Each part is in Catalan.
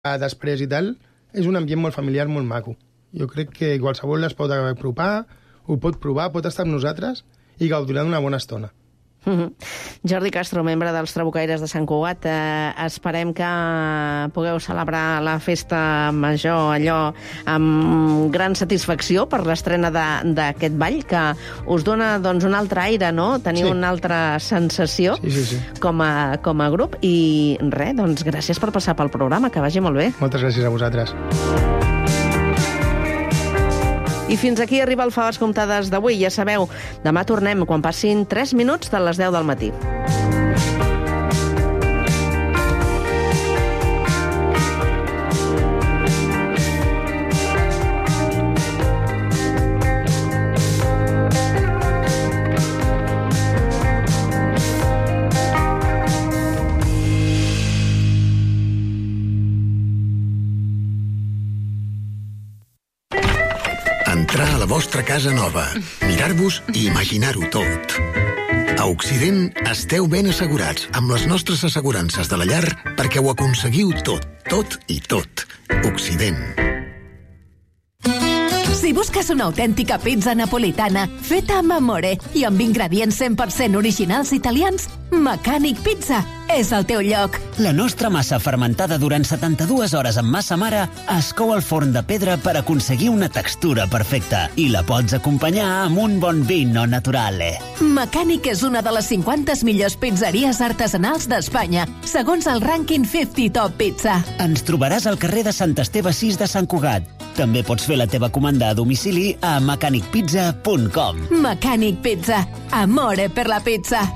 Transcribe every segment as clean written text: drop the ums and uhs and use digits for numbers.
després i tal, és un ambient molt familiar, molt maco. Jo crec que qualsevol es pot apropar, ho pot provar, pot estar amb nosaltres i gaudirà d'una bona estona. Jordi Castro, membre dels Trabucaires de Sant Cugat, esperem que pugueu celebrar la festa major allò amb gran satisfacció per l'estrena d'aquest ball, que us dona doncs, un altre aire, no? Teniu una altra sensació com a grup. I res, doncs gràcies per passar pel programa, que vagi molt bé. Moltes gràcies a vosaltres. I fins aquí arriba el Faves Comptades d'avui. Ja sabeu, demà tornem quan passin 3 minuts de les 10 del matí. Entrar a la vostra casa nova, mirar-vos i imaginar-ho tot. A Occident esteu ben assegurats amb les nostres assegurances de la llar perquè ho aconseguiu tot, tot i tot. Occident. Si busques una autèntica pizza napolitana feta amb amore i amb ingredients 100% originals italians, Mecànic Pizza és el teu lloc. La nostra massa fermentada durant 72 hores amb massa mare es cou al forn de pedra per aconseguir una textura perfecta i la pots acompanyar amb un bon vino naturale. Mecànic és una de les 50 millors pizzeries artesanals d'Espanya, segons el rànquing 50 Top Pizza. Ens trobaràs al carrer de Sant Esteve 6 de Sant Cugat. També pots fer la teva comanda a domicili a mecanicpizza.com. Mecànic Pizza. Amore per la pizza.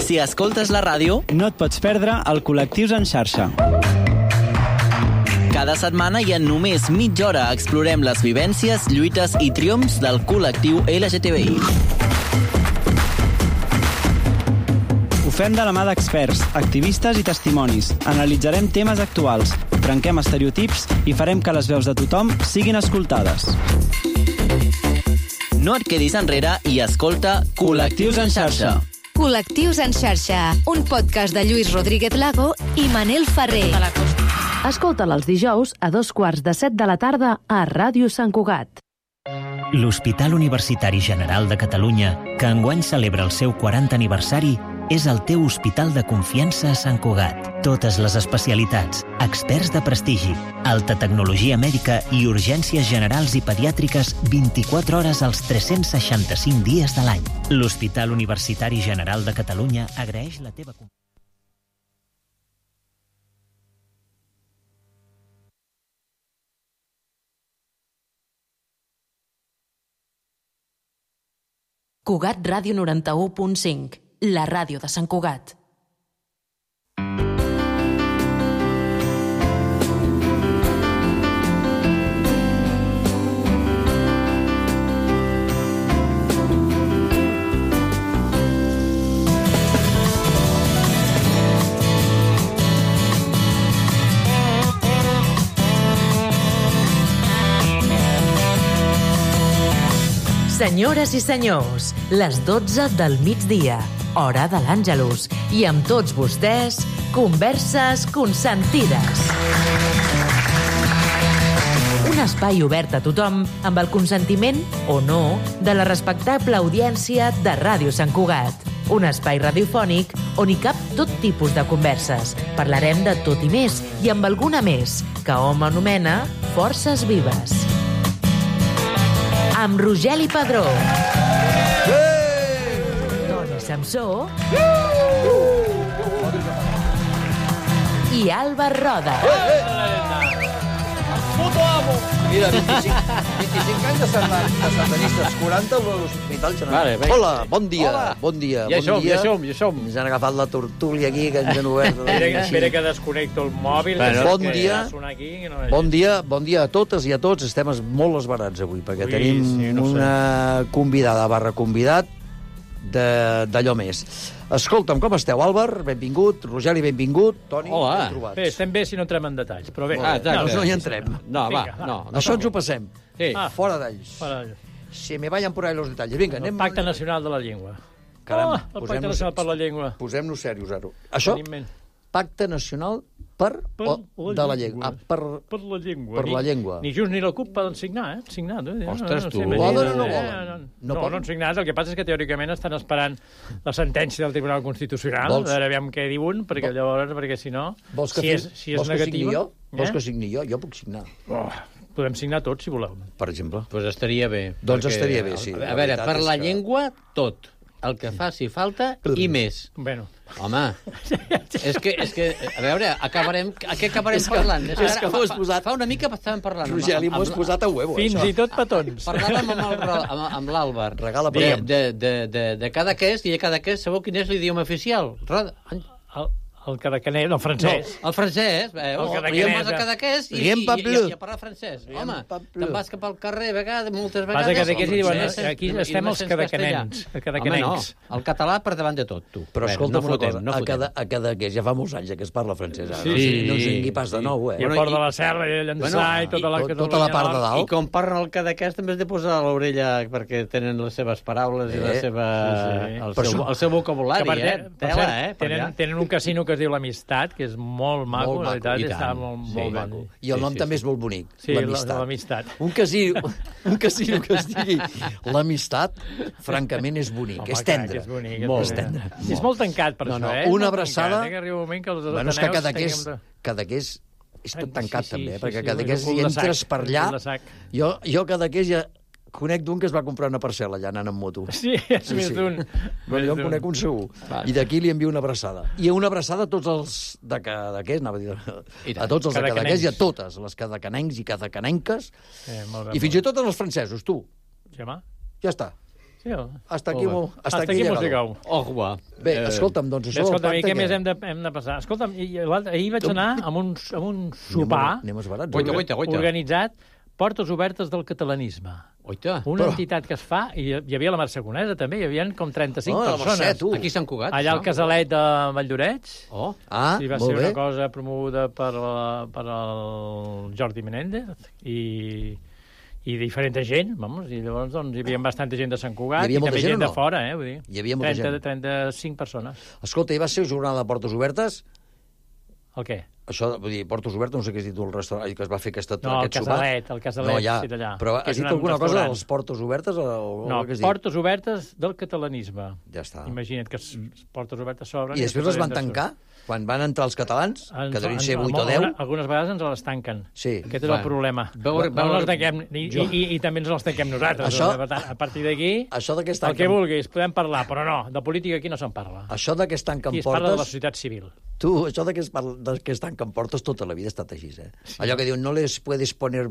Si escoltes la ràdio, no et pots perdre el Col·lectius en xarxa. Cada setmana i en només mitja hora explorem les vivències, lluites i triomfs del col·lectiu LGTBI. Ho fem de la mà d'experts, activistes i testimonis. Analitzarem temes actuals, trenquem estereotips i farem que les veus de tothom siguin escoltades. No et quedis enrere i escolta Col·lectius en xarxa. Col·lectius en xarxa, un podcast de Lluís Rodríguez Lago i Manel Ferrer. Escolta'l els dijous a 14:45 de la tarda a Ràdio Sant Cugat. L'Hospital Universitari General de Catalunya, que enguany celebra el seu 40 aniversari, és el teu hospital de confiança a Sant Cugat. Totes les especialitats, experts de prestigi, alta tecnologia mèdica i urgències generals i pediàtriques 24 hores als 365 dies de l'any. L'Hospital Universitari General de Catalunya agraeix la teva confiança. Cugat Ràdio 91.5, la ràdio de Sant Cugat. Senyores i senyors, les 12 del migdia, hora de l'Àngelus, i amb tots vostès, Converses Consentides. Un espai obert a tothom amb el consentiment, o no, de la respectable audiència de Ràdio Sant Cugat. Un espai radiofònic on hi cap tot tipus de converses. Parlarem de tot i més, i amb alguna més, que hom anomena Forces Vives. Amb Rogeli Padró, Toni Samsó i Alba Roda. Mira, 25 anys de sardanistes, 40 a l'Hospital General. Vale, hola, bon dia. Hola. Bon dia. Ja som. Ens han agafat la tortúlia aquí, que ens han obert. Espera que desconnecto el mòbil. Bon dia a totes i a tots. Estem molt esbarats avui, perquè tenim una convidada / convidat d'allò més. Escolta'm, com esteu, Àlvar? Benvingut. Rogeli, benvingut. Toni, ben trobats. Bé, estem bé si no entrem en detalls, però bé. No hi entrem. No. Això ens ho passem. Sí. Fora d'ells. Si me vayan por ahí los detalles. Vinga, anem... Pacte Nacional de la Llengua. Caram, el Pacte Nacional per la Llengua. Posem-nos serios, ara. Això, Pacte Nacional de la Llengua. Per la llengua. Per la llengua. Ni Junts ni la CUP poden signar, Signat. Ostres, tu. Poden o no volen? No han signat. El que passa és que teòricament estan esperant la sentència del Tribunal Constitucional. A veure, aviam què diuen, perquè llavors, perquè si no... Vols que signi jo? Vols que signi jo? Jo puc signar. Podem signar tots, si voleu. Per exemple. Doncs estaria bé. Doncs estaria bé, sí. A veure, per la llengua, tot. El que faci falta i més. Bueno. Home, és que a veure, a què acabarem parlant? És que m'ho has posat... Fa una mica estàvem parlant. Rogeli, m'ho has posat a huevo, Fins i tot petons. Parlàvem amb l'Àlvar de Cadaqués, i a Cadaqués sabeu quin és l'idioma oficial? El cadaquanès, el francès. No, el francès. Te'n vas a Cadaqués i a parlar francès. Home, te'n vas cap al carrer, moltes vegades... Vas a Cadaqués i diuen, aquí estem els cadaquanens. Home, no, el català per davant de tot, tu. Però escolta'm una cosa, a Cadaqués ja fa molts anys que es parla francès. No us vingui pas de nou, I a Port de la Serra, i a Llançà, i tota la part de dalt. I com parlen el Cadaqués també has de posar a l'orella perquè tenen les seves paraules i el seu vocabulari, Tela, Tenen un casino que es diu l'Amistat, que és molt maco, la veritat, està molt maco. I el nom també és molt bonic, l'Amistat. Un casino que es digui l'Amistat, francament és bonic, és tendre. És tendre. És molt tancat, per això, Una abraçada... Bueno, és que Cadaqués és tot tancat, també, perquè Cadaqués hi entres per allà... Jo Cadaqués ja... Conec d'un que es va comprar una parcel·la allà anant amb moto. Sí, és més d'un. Jo en conec un segur. I d'aquí li envio una abraçada. I una abraçada a tots els de Cadaqués, anava a dir, a tots els de Cadaqués i a totes les cadaquenencs i cadaquenenques. I fins i tot els francesos, tu. Ja està. Hasta aquí hemos llegado. Bé, escolta'm, doncs això... Escolta'm, i què més hem de passar? Escolta'm, ahir vaig anar amb un sopar organitzat Portes Obertes del Catalanisme. Una entitat que es fa, i hi havia la Mercè Conesa també, hi havia com 35 persones. Aquí a Sant Cugat. Allà al Casalet de Valldoreix. I va ser una cosa promoguda per el Jordi Menéndez i diferent gent, i llavors hi havia bastanta gent de Sant Cugat i també gent de fora, vull dir. Hi havia molta gent. 35 persones. Escolta, i va ser jornada de Portes Obertes? El què? Això, vull dir, Portes Obertes, no sé què has dit tu, el restaurant que es va fer aquest sopat. No, el Casalet, sí, d'allà. Però has dit alguna cosa dels Portes Obertes? No, Portes Obertes del catalanisme. Ja està. Imagina't que Portes Obertes s'obren... I després les van tancar? Quan van entrar els catalans? Que devien ser 8 o 10? Algunes vegades ens les tanquen. Sí. Aquest és el problema. I també ens les tanquem nosaltres. A partir d'aquí, el que vulguis, podem parlar, però no, de política aquí no se'n parla. Això de que es tanquen portes... Aquí es parla de la societat civil. Tu, això de que es tanquen portes tota la vida ha estat així, Allò que diuen, no les puedes poner,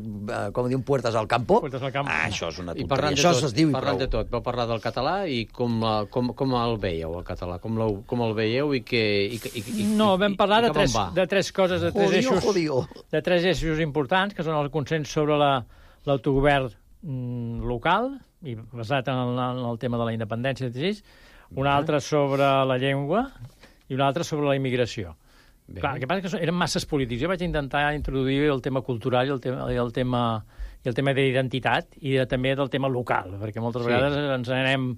com diuen, puertas al campo. Això és una tonteria. Això es diu i prou. Parlant de tot, vau parlar del català i com el veieu, el català? Com el veieu i que... No, vam parlar de tres coses, de tres eixos importants, que són el consens sobre l'autogovern local, i basat en el tema de la independència, un altre sobre la llengua i un altre sobre la immigració. Clar, el que passa és que eren masses polítics. Jo vaig intentar introduir el tema cultural i el tema d'identitat i també del tema local, perquè moltes vegades ens anem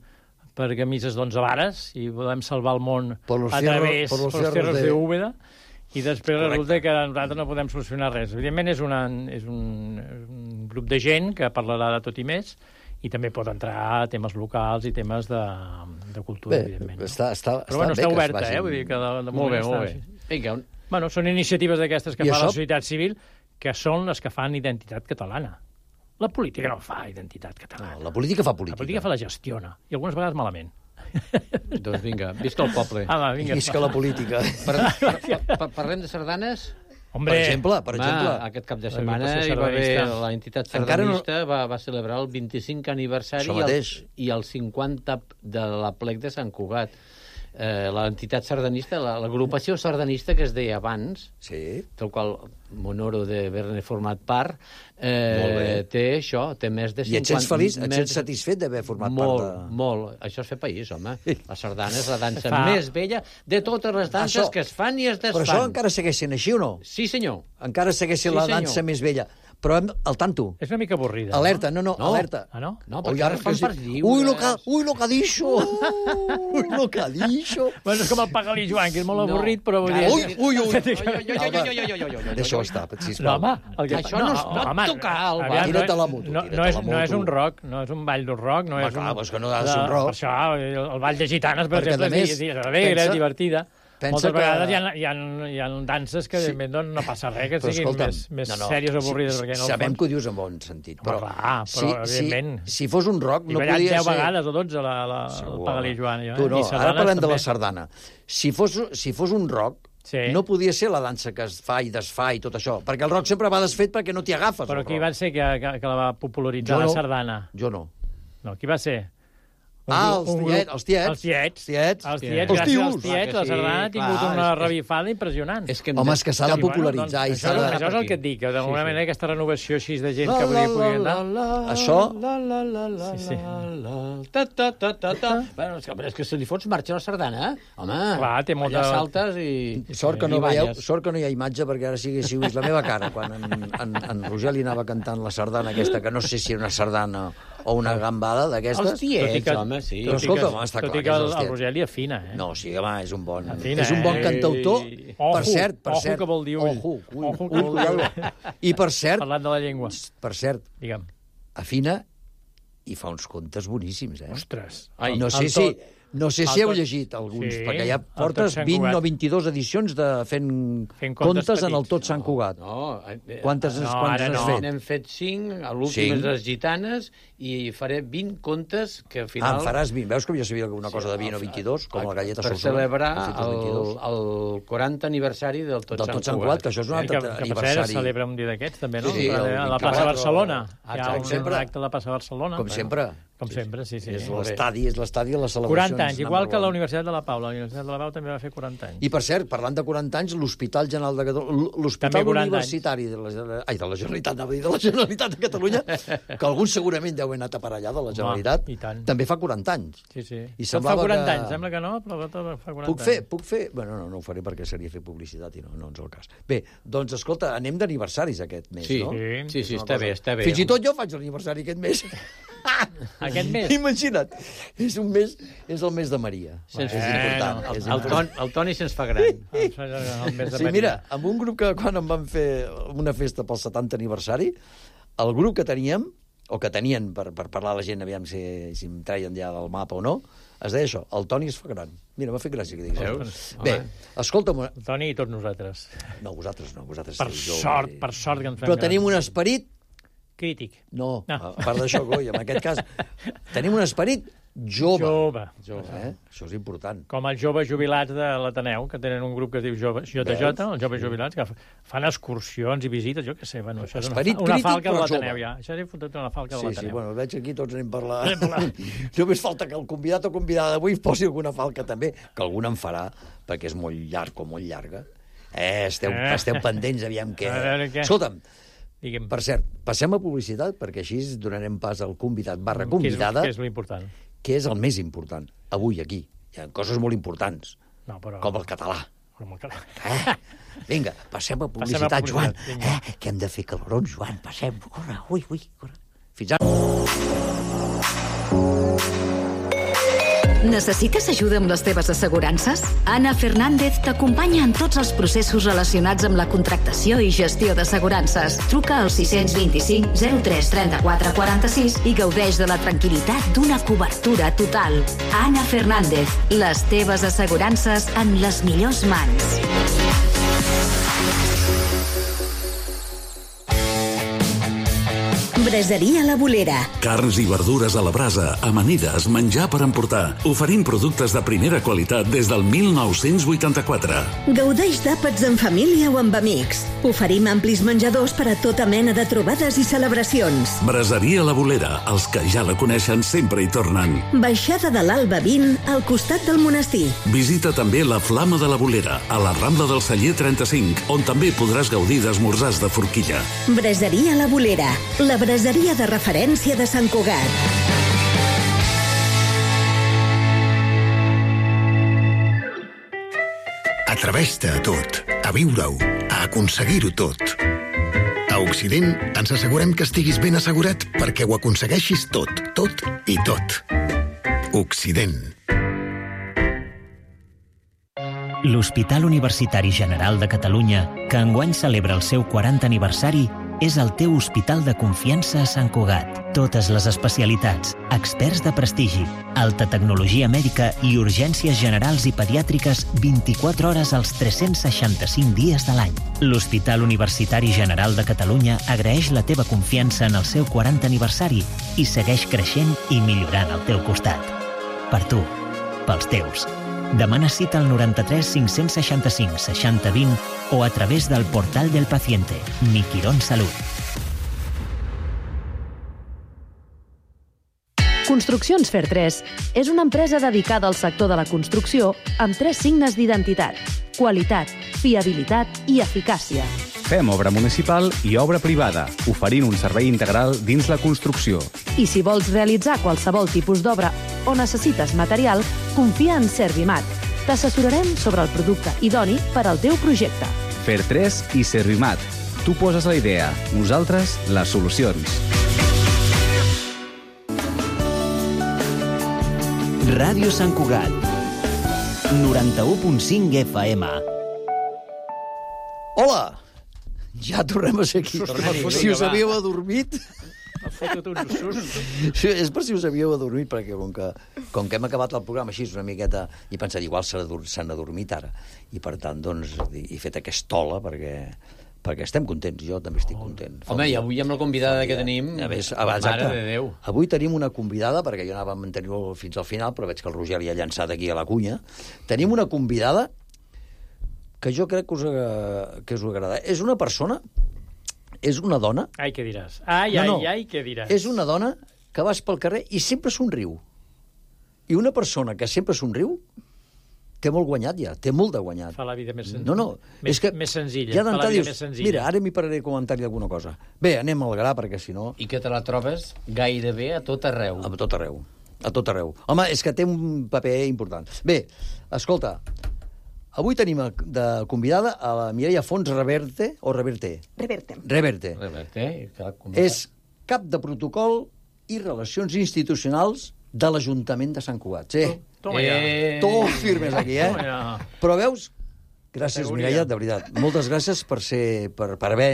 per camises d'11 vares i volem salvar el món a través de los cerros de Úbeda i després resulta que nosaltres no podem solucionar res. Evidentment és un grup de gent que parlarà de tot i més i també pot entrar temes locals i temes de cultura, evidentment. Però bueno, està oberta, vull dir que de moment està... Bueno, són iniciatives d'aquestes que fa la societat civil que són les que fan identitat catalana. La política no fa identitat catalana. La política fa política. La política fa la gestiona, i algunes vegades malament. Doncs vinga, visca el poble. Visca la política. Parlem de sardanes? Per exemple. Aquest cap de setmana hi va haver l'entitat sardanista, va celebrar el 25 aniversari i el 50 de la plec de Sant Cugat. L'entitat sardanista, l'agrupació sardanista que es deia abans, del qual m'honoro d'haver-ne format part, té més de 50... I et sents feliç? Et sents satisfet d'haver format part de... Molt. Això és fer país, home. La sardana és la dansa més vella de totes les danses que es fan i es desfan. Però això encara segueix sent així o no? Sí, senyor. Encara segueix sent la dansa més vella. Però al tanto. És una mica avorrida. Alerta, no, alerta. Ah, no? No, perquè ara fan per lliure. Ui, lo que ha dicho! Ui, lo que ha dicho! Bueno, és com el Pagalí Joan, que és molt avorrit, però... Ui! Deixa-ho estar, sisplau. No, home... Això no es pot tocar, Albert. Tira't a la moto. No és un rock, no és un ball d'un rock, no és un... Clar, és que no ha de ser un rock. Per això, el ball de gitanes, per exemple, és alegre, divertida. Moltes vegades hi ha danses que no passa res, que siguin més sèries o avorrides. Sabem que ho dius en bon sentit, però evidentment... Si fos un rock no podia ser... 10 vegades o 12 el Pagalí Joan. Tu no, ara parlem de la sardana. Si fos un rock, no podia ser la dansa que es fa i desfà i tot això, perquè el rock sempre va desfet perquè no t'hi agafes. Però qui va ser que la va popularitzar la sardana? Jo no. No, qui va ser? Els tiets. Els tiets, gràcies als tiets, la sardana ha tingut una revifada impressionant. Home, és que s'ha de popularitzar. Això és el que et dic, que d'alguna manera aquesta renovació així de gent que podria anar... Això... Bueno, és que se li fots marxa a la sardana, home. Clar, té molta... Allà saltes i... Sort que no hi ha imatge, perquè ara sí que si vist la meva cara, quan en Roger li anava cantant la sardana aquesta, que no sé si era una sardana o una gambada d'aquestes. Els tiets, home, sí. Però escolta, està clar que és els tiets. El Roger li afina, eh? No, sí, home, és un bon cantautor. Per cert... Ojo, que vol dir ull. Ojo. I per cert... Parlant de la llengua. Per cert, digue'm, afina i fa uns contes boníssims, eh? Ostres. No sé si heu llegit alguns, perquè ja portes 20 o 22 edicions de fent contes en el Tot Sant Cugat. Quantes has fet? N'hem fet 5, l'últim és les gitanes, i faré 20 contes que al final... En faràs 20. Veus que ja sabia alguna cosa de 20 o 22, com la galleta Solsona? Per celebrar el 40 aniversari del Tot Sant Cugat. Que això és un altre aniversari. Que per cert es celebra un dia d'aquests, també, no? A la plaça Barcelona. Hi ha un acte de la plaça Barcelona. Com sempre. Com sempre, sí. És l'estadi de les celebracions. 40 anys, igual que la Universitat de la Pau. La Universitat de la Pau també va fer 40 anys. I, per cert, parlant de 40 anys, l'Hospital General de Catalunya, l'Hospital Universitari de la Generalitat de Catalunya, que alguns segurament deu haver anat a parar allà de la Generalitat, també fa 40 anys. Sí. Tot fa 40 anys, sembla que no, però tot fa 40 anys. Puc fer? Bueno, no ho faré perquè seria fer publicitat i no és el cas. Bé, doncs, escolta, anem d'aniversaris aquest mes, no? Sí, està bé. Fins i tot jo faig l'aniversari aquest mes. Aquest mes? Imagina't, és el mes de Maria. És important. El Toni se'ns fa gran. Sí, mira, amb un grup que quan em van fer una festa pel 70 aniversari, el grup que teníem, o que tenien per parlar a la gent, aviam si em traien ja del mapa o no, es deia això, el Toni es fa gran. Mira, m'ha fet gràcia que diguis això. Bé, escolta'm... El Toni i tots nosaltres. No, vosaltres no. Per sort que ens fem Però tenim un esperit crític. No, a part d'això, coi, en aquest cas, tenim un esperit jove. Això és important. Com els joves jubilats de l'Ateneu, que tenen un grup que es diu JJ, els joves jubilats, que fan excursions i visites, jo què sé, bueno, això és una falca de l'Ateneu, ja. Això és una falca de l'Ateneu. Sí, bueno, veig aquí tots anem parlant. Només falta que el convidat o convidada d'avui posi alguna falca també, que algun en farà, perquè és molt llarg o molt llarga. Esteu pendents, aviam què... Escolta'm, per cert, passem a publicitat, perquè així donarem pas al convidat / convidada. Que és l'important. Que és el més important, avui aquí. Hi ha coses molt importants, com el català. Vinga, passem a publicitat, Joan. Que hem de fer calorons, Joan. Passem, corre, corre. Fins ara. Necessites ajuda amb les teves assegurances? Anna Fernández t'acompanya en tots els processos relacionats amb la contractació i gestió d'assegurances. Truca al 625 03 34 46 i gaudeix de la tranquil·litat d'una cobertura total. Anna Fernández, les teves assegurances en les millors mans. Braseria La Bolera. Carns i verdures a la brasa, amanides, menjar per emportar. Oferim productes de primera qualitat des del 1984. Gaudeix d'àpats en família o amb amics. Oferim amplis menjadors per a tota mena de trobades i celebracions. Braseria La Bolera. Els que ja la coneixen sempre hi tornen. Baixada de l'Alba 20, al costat del monestir. Visita també la Flama de la Bolera, a la Rambla del Celler 35, on també podràs gaudir d'esmorzars de forquilla. Braseria La Bolera. La braseria de referència de Sant Cugat. Atreveix-te a tot, a viure-ho, a aconseguir-ho tot. A Occident ens assegurem que estiguis ben assegurat perquè ho aconsegueixis tot, tot i tot. Occident. L'Hospital Universitari General de Catalunya, que enguany celebra el seu 40 aniversari, és el teu hospital de confiança a Sant Cugat. Totes les especialitats, experts de prestigi, alta tecnologia mèdica i urgències generals i pediàtriques 24 hores als 365 dies de l'any. L'Hospital Universitari General de Catalunya agraeix la teva confiança en el seu 40 aniversari i segueix creixent i millorant al teu costat. Per tu, pels teus. Demana cita al 93 565 60 20 o a través del portal del paciente. Miquirón Salut. Construccions Fer 3 és una empresa dedicada al sector de la construcció amb 3 signes d'identitat: qualitat, fiabilitat i eficàcia. Fem obra municipal i obra privada, oferint un servei integral dins la construcció. I si vols realitzar qualsevol tipus d'obra o necessites material, confia en Servimat. T'assessorarem sobre el producte idoni per al teu projecte. Fer 3 i Servimat. Tu poses la idea, nosaltres les solucions. Ràdio Sant Cugat, 91.5 FM. Hola! Ja tornem a ser aquí. Si us havíeu adormit... Ha fotut un sust. Sí, és per si us havíeu adormit, perquè com que hem acabat el programa així una miqueta, i he pensat, igual s'han adormit ara. I per tant, doncs, he fet aquesta ola perquè estem contents, jo també estic content. Home, i avui amb la convidada que tenim, mare de Déu. Avui tenim una convidada, perquè jo anava a mantenir-ho fins al final, però veig que el Roger li ha llançat aquí a la cunya. Tenim una convidada que jo crec que us agrada. És una persona, és una dona... Ai, què diràs? Ai, què diràs? És una dona que vas pel carrer i sempre somriu. I una persona que sempre somriu té molt guanyat ja, té molt de guanyat. Fa la vida més senzilla. És que més senzilla. Ja d'entrar dius, mira, ara m'hi pararé a comentar-li alguna cosa. Bé, anem al gra, perquè si no... I que te la trobes gairebé a tot arreu. A tot arreu. A tot arreu. Home, és que té un paper important. Bé, escolta, avui tenim de convidada a la Mireia Fons Reverte, o Reverte? Reverte. És cap de protocol i relacions institucionals de l'Ajuntament de Sant Cugat. Sí. Toma ja. Tot firmes aquí, Però veus, gràcies, Mireia, de veritat. Moltes gràcies per haver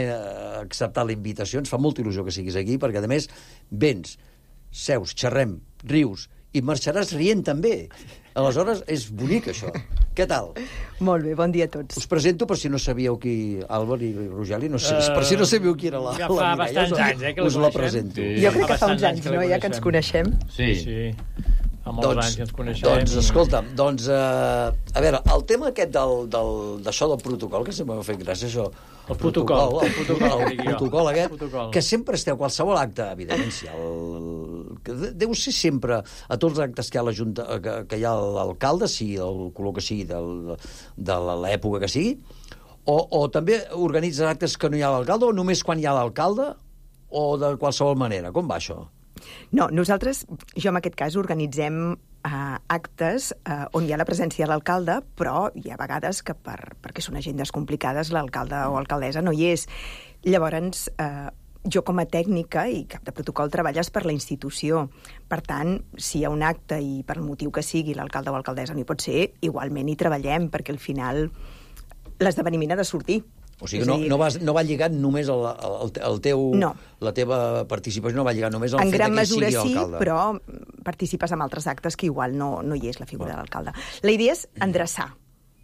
acceptat la invitació. Ens fa molta il·lusió que siguis aquí, perquè, a més, vens, seus, xerrem, rius, i marxaràs rient també. Aleshores, és bonic, això. Què tal? Molt bé, bon dia a tots. Us presento per si no sabíeu qui... Àlvar i Rogeli, per si no sabíeu qui era la Mireia. Ja fa bastants anys, que us la presento. Jo crec que fa uns anys, no?, ja que ens coneixem. Sí. Fa molts anys que ens coneixem. Doncs, escolta, a veure, el tema aquest d'això del protocol, que sempre m'ha fet gràcia, això... El protocol aquest, que sempre esteu, qualsevol acte, evidentment, deu ser sempre, a tots els actes que hi ha que hi ha l'alcalde, sigui el color que sigui, de l'època que sigui, o també organitzes actes que no hi ha l'alcalde, o només quan hi ha l'alcalde, o de qualsevol manera? Com va això? No, nosaltres, jo en aquest cas, organitzem actes on hi ha la presència de l'alcalde, però hi ha vegades que perquè són agendes complicades l'alcalde o alcaldessa no hi és. Llavors, jo com a tècnica i cap de protocol treballes per la institució. Per tant, si hi ha un acte i per el motiu que sigui l'alcalde o alcaldessa no hi pot ser, igualment hi treballem, perquè al final l'esdeveniment ha de sortir. O sigui, no va lligat només la teva participació, no va lligat només al fet que sigui alcalde. En gran mesura sí, però participes en altres actes que igual no hi és la figura de l'alcalde. La idea és endreçar,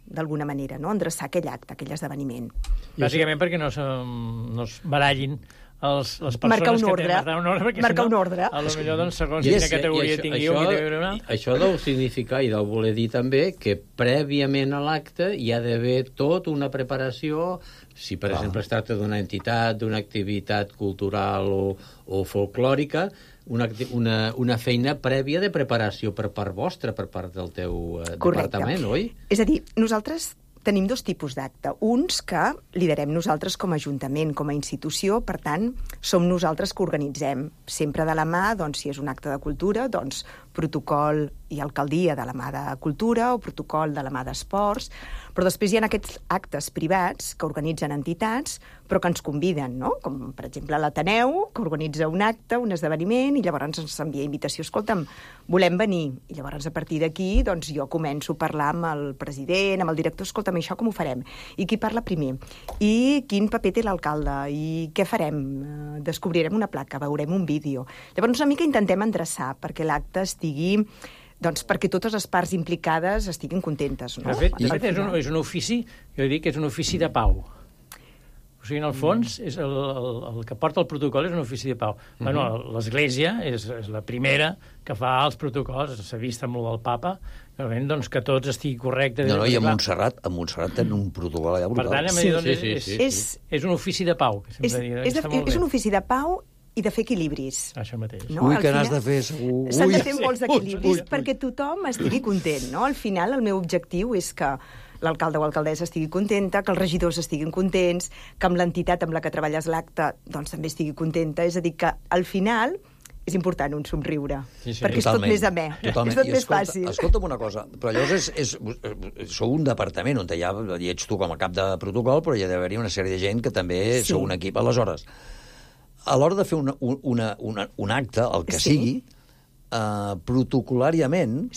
d'alguna manera, no? Endreçar aquell acte, aquell esdeveniment. Bàsicament perquè no es barallin les persones que tenen marcar un ordre. A lo millor, doncs, segons quina categoria tingui una... Això deu significar i deu voler dir també que prèviament a l'acte hi ha d'haver tot una preparació, si per exemple es tracta d'una entitat, d'una activitat cultural o folclòrica, una feina prèvia de preparació per part vostra, per part del teu departament, oi? És a dir, nosaltres tenim dos tipus d'acte. Uns que liderem nosaltres com a Ajuntament, com a institució, per tant, som nosaltres que organitzem. Sempre de la mà, doncs, si és un acte de cultura, doncs protocol i alcaldia de la mà de cultura o protocol de la mà d'esports, però després hi ha aquests actes privats que organitzen entitats però que ens conviden, no? Com per exemple l'Ateneu, que organitza un acte, un esdeveniment, i llavors ens envia invitació, escolta'm, volem venir. I llavors a partir d'aquí doncs, jo començo a parlar amb el president, amb el director, escolta'm, això com ho farem? I qui parla primer? I quin paper té l'alcalde? I què farem? Descobrirem una placa, veurem un vídeo. Llavors una mica intentem endreçar perquè l'acte estigui doncs perquè totes les parts implicades estiguin contentes, no? De fet, és un ofici, jo dic que és un ofici de pau. O sigui, en el fons, el que porta el protocol és un ofici de pau. Bueno, l'Església és la primera que fa els protocols, s'ha vist amb el del papa, doncs que tots estigui correcte. No, i a Montserrat tenen un protocol allà brutal. Per tant, és un ofici de pau. És un ofici de pau i de fer equilibris. Això mateix. No? Ui, que n'has de fer, segur. S'han de fer molts equilibris perquè tothom estigui content, no? Al final, el meu objectiu és que l'alcalde o alcaldessa estigui contenta, que els regidors estiguin contents, que amb l'entitat amb la que treballes l'acte doncs, també estigui contenta. És a dir, que al final és important un somriure, perquè és tot més amè, és tot més fàcil. Escolta'm una cosa, però llavors sou un departament on ja hi ets tu com a cap de protocol, però hi ha d'haver-hi una sèrie de gent que també sou un equip. Aleshores, a l'hora de fer un acte, el que sigui, protocolàriament,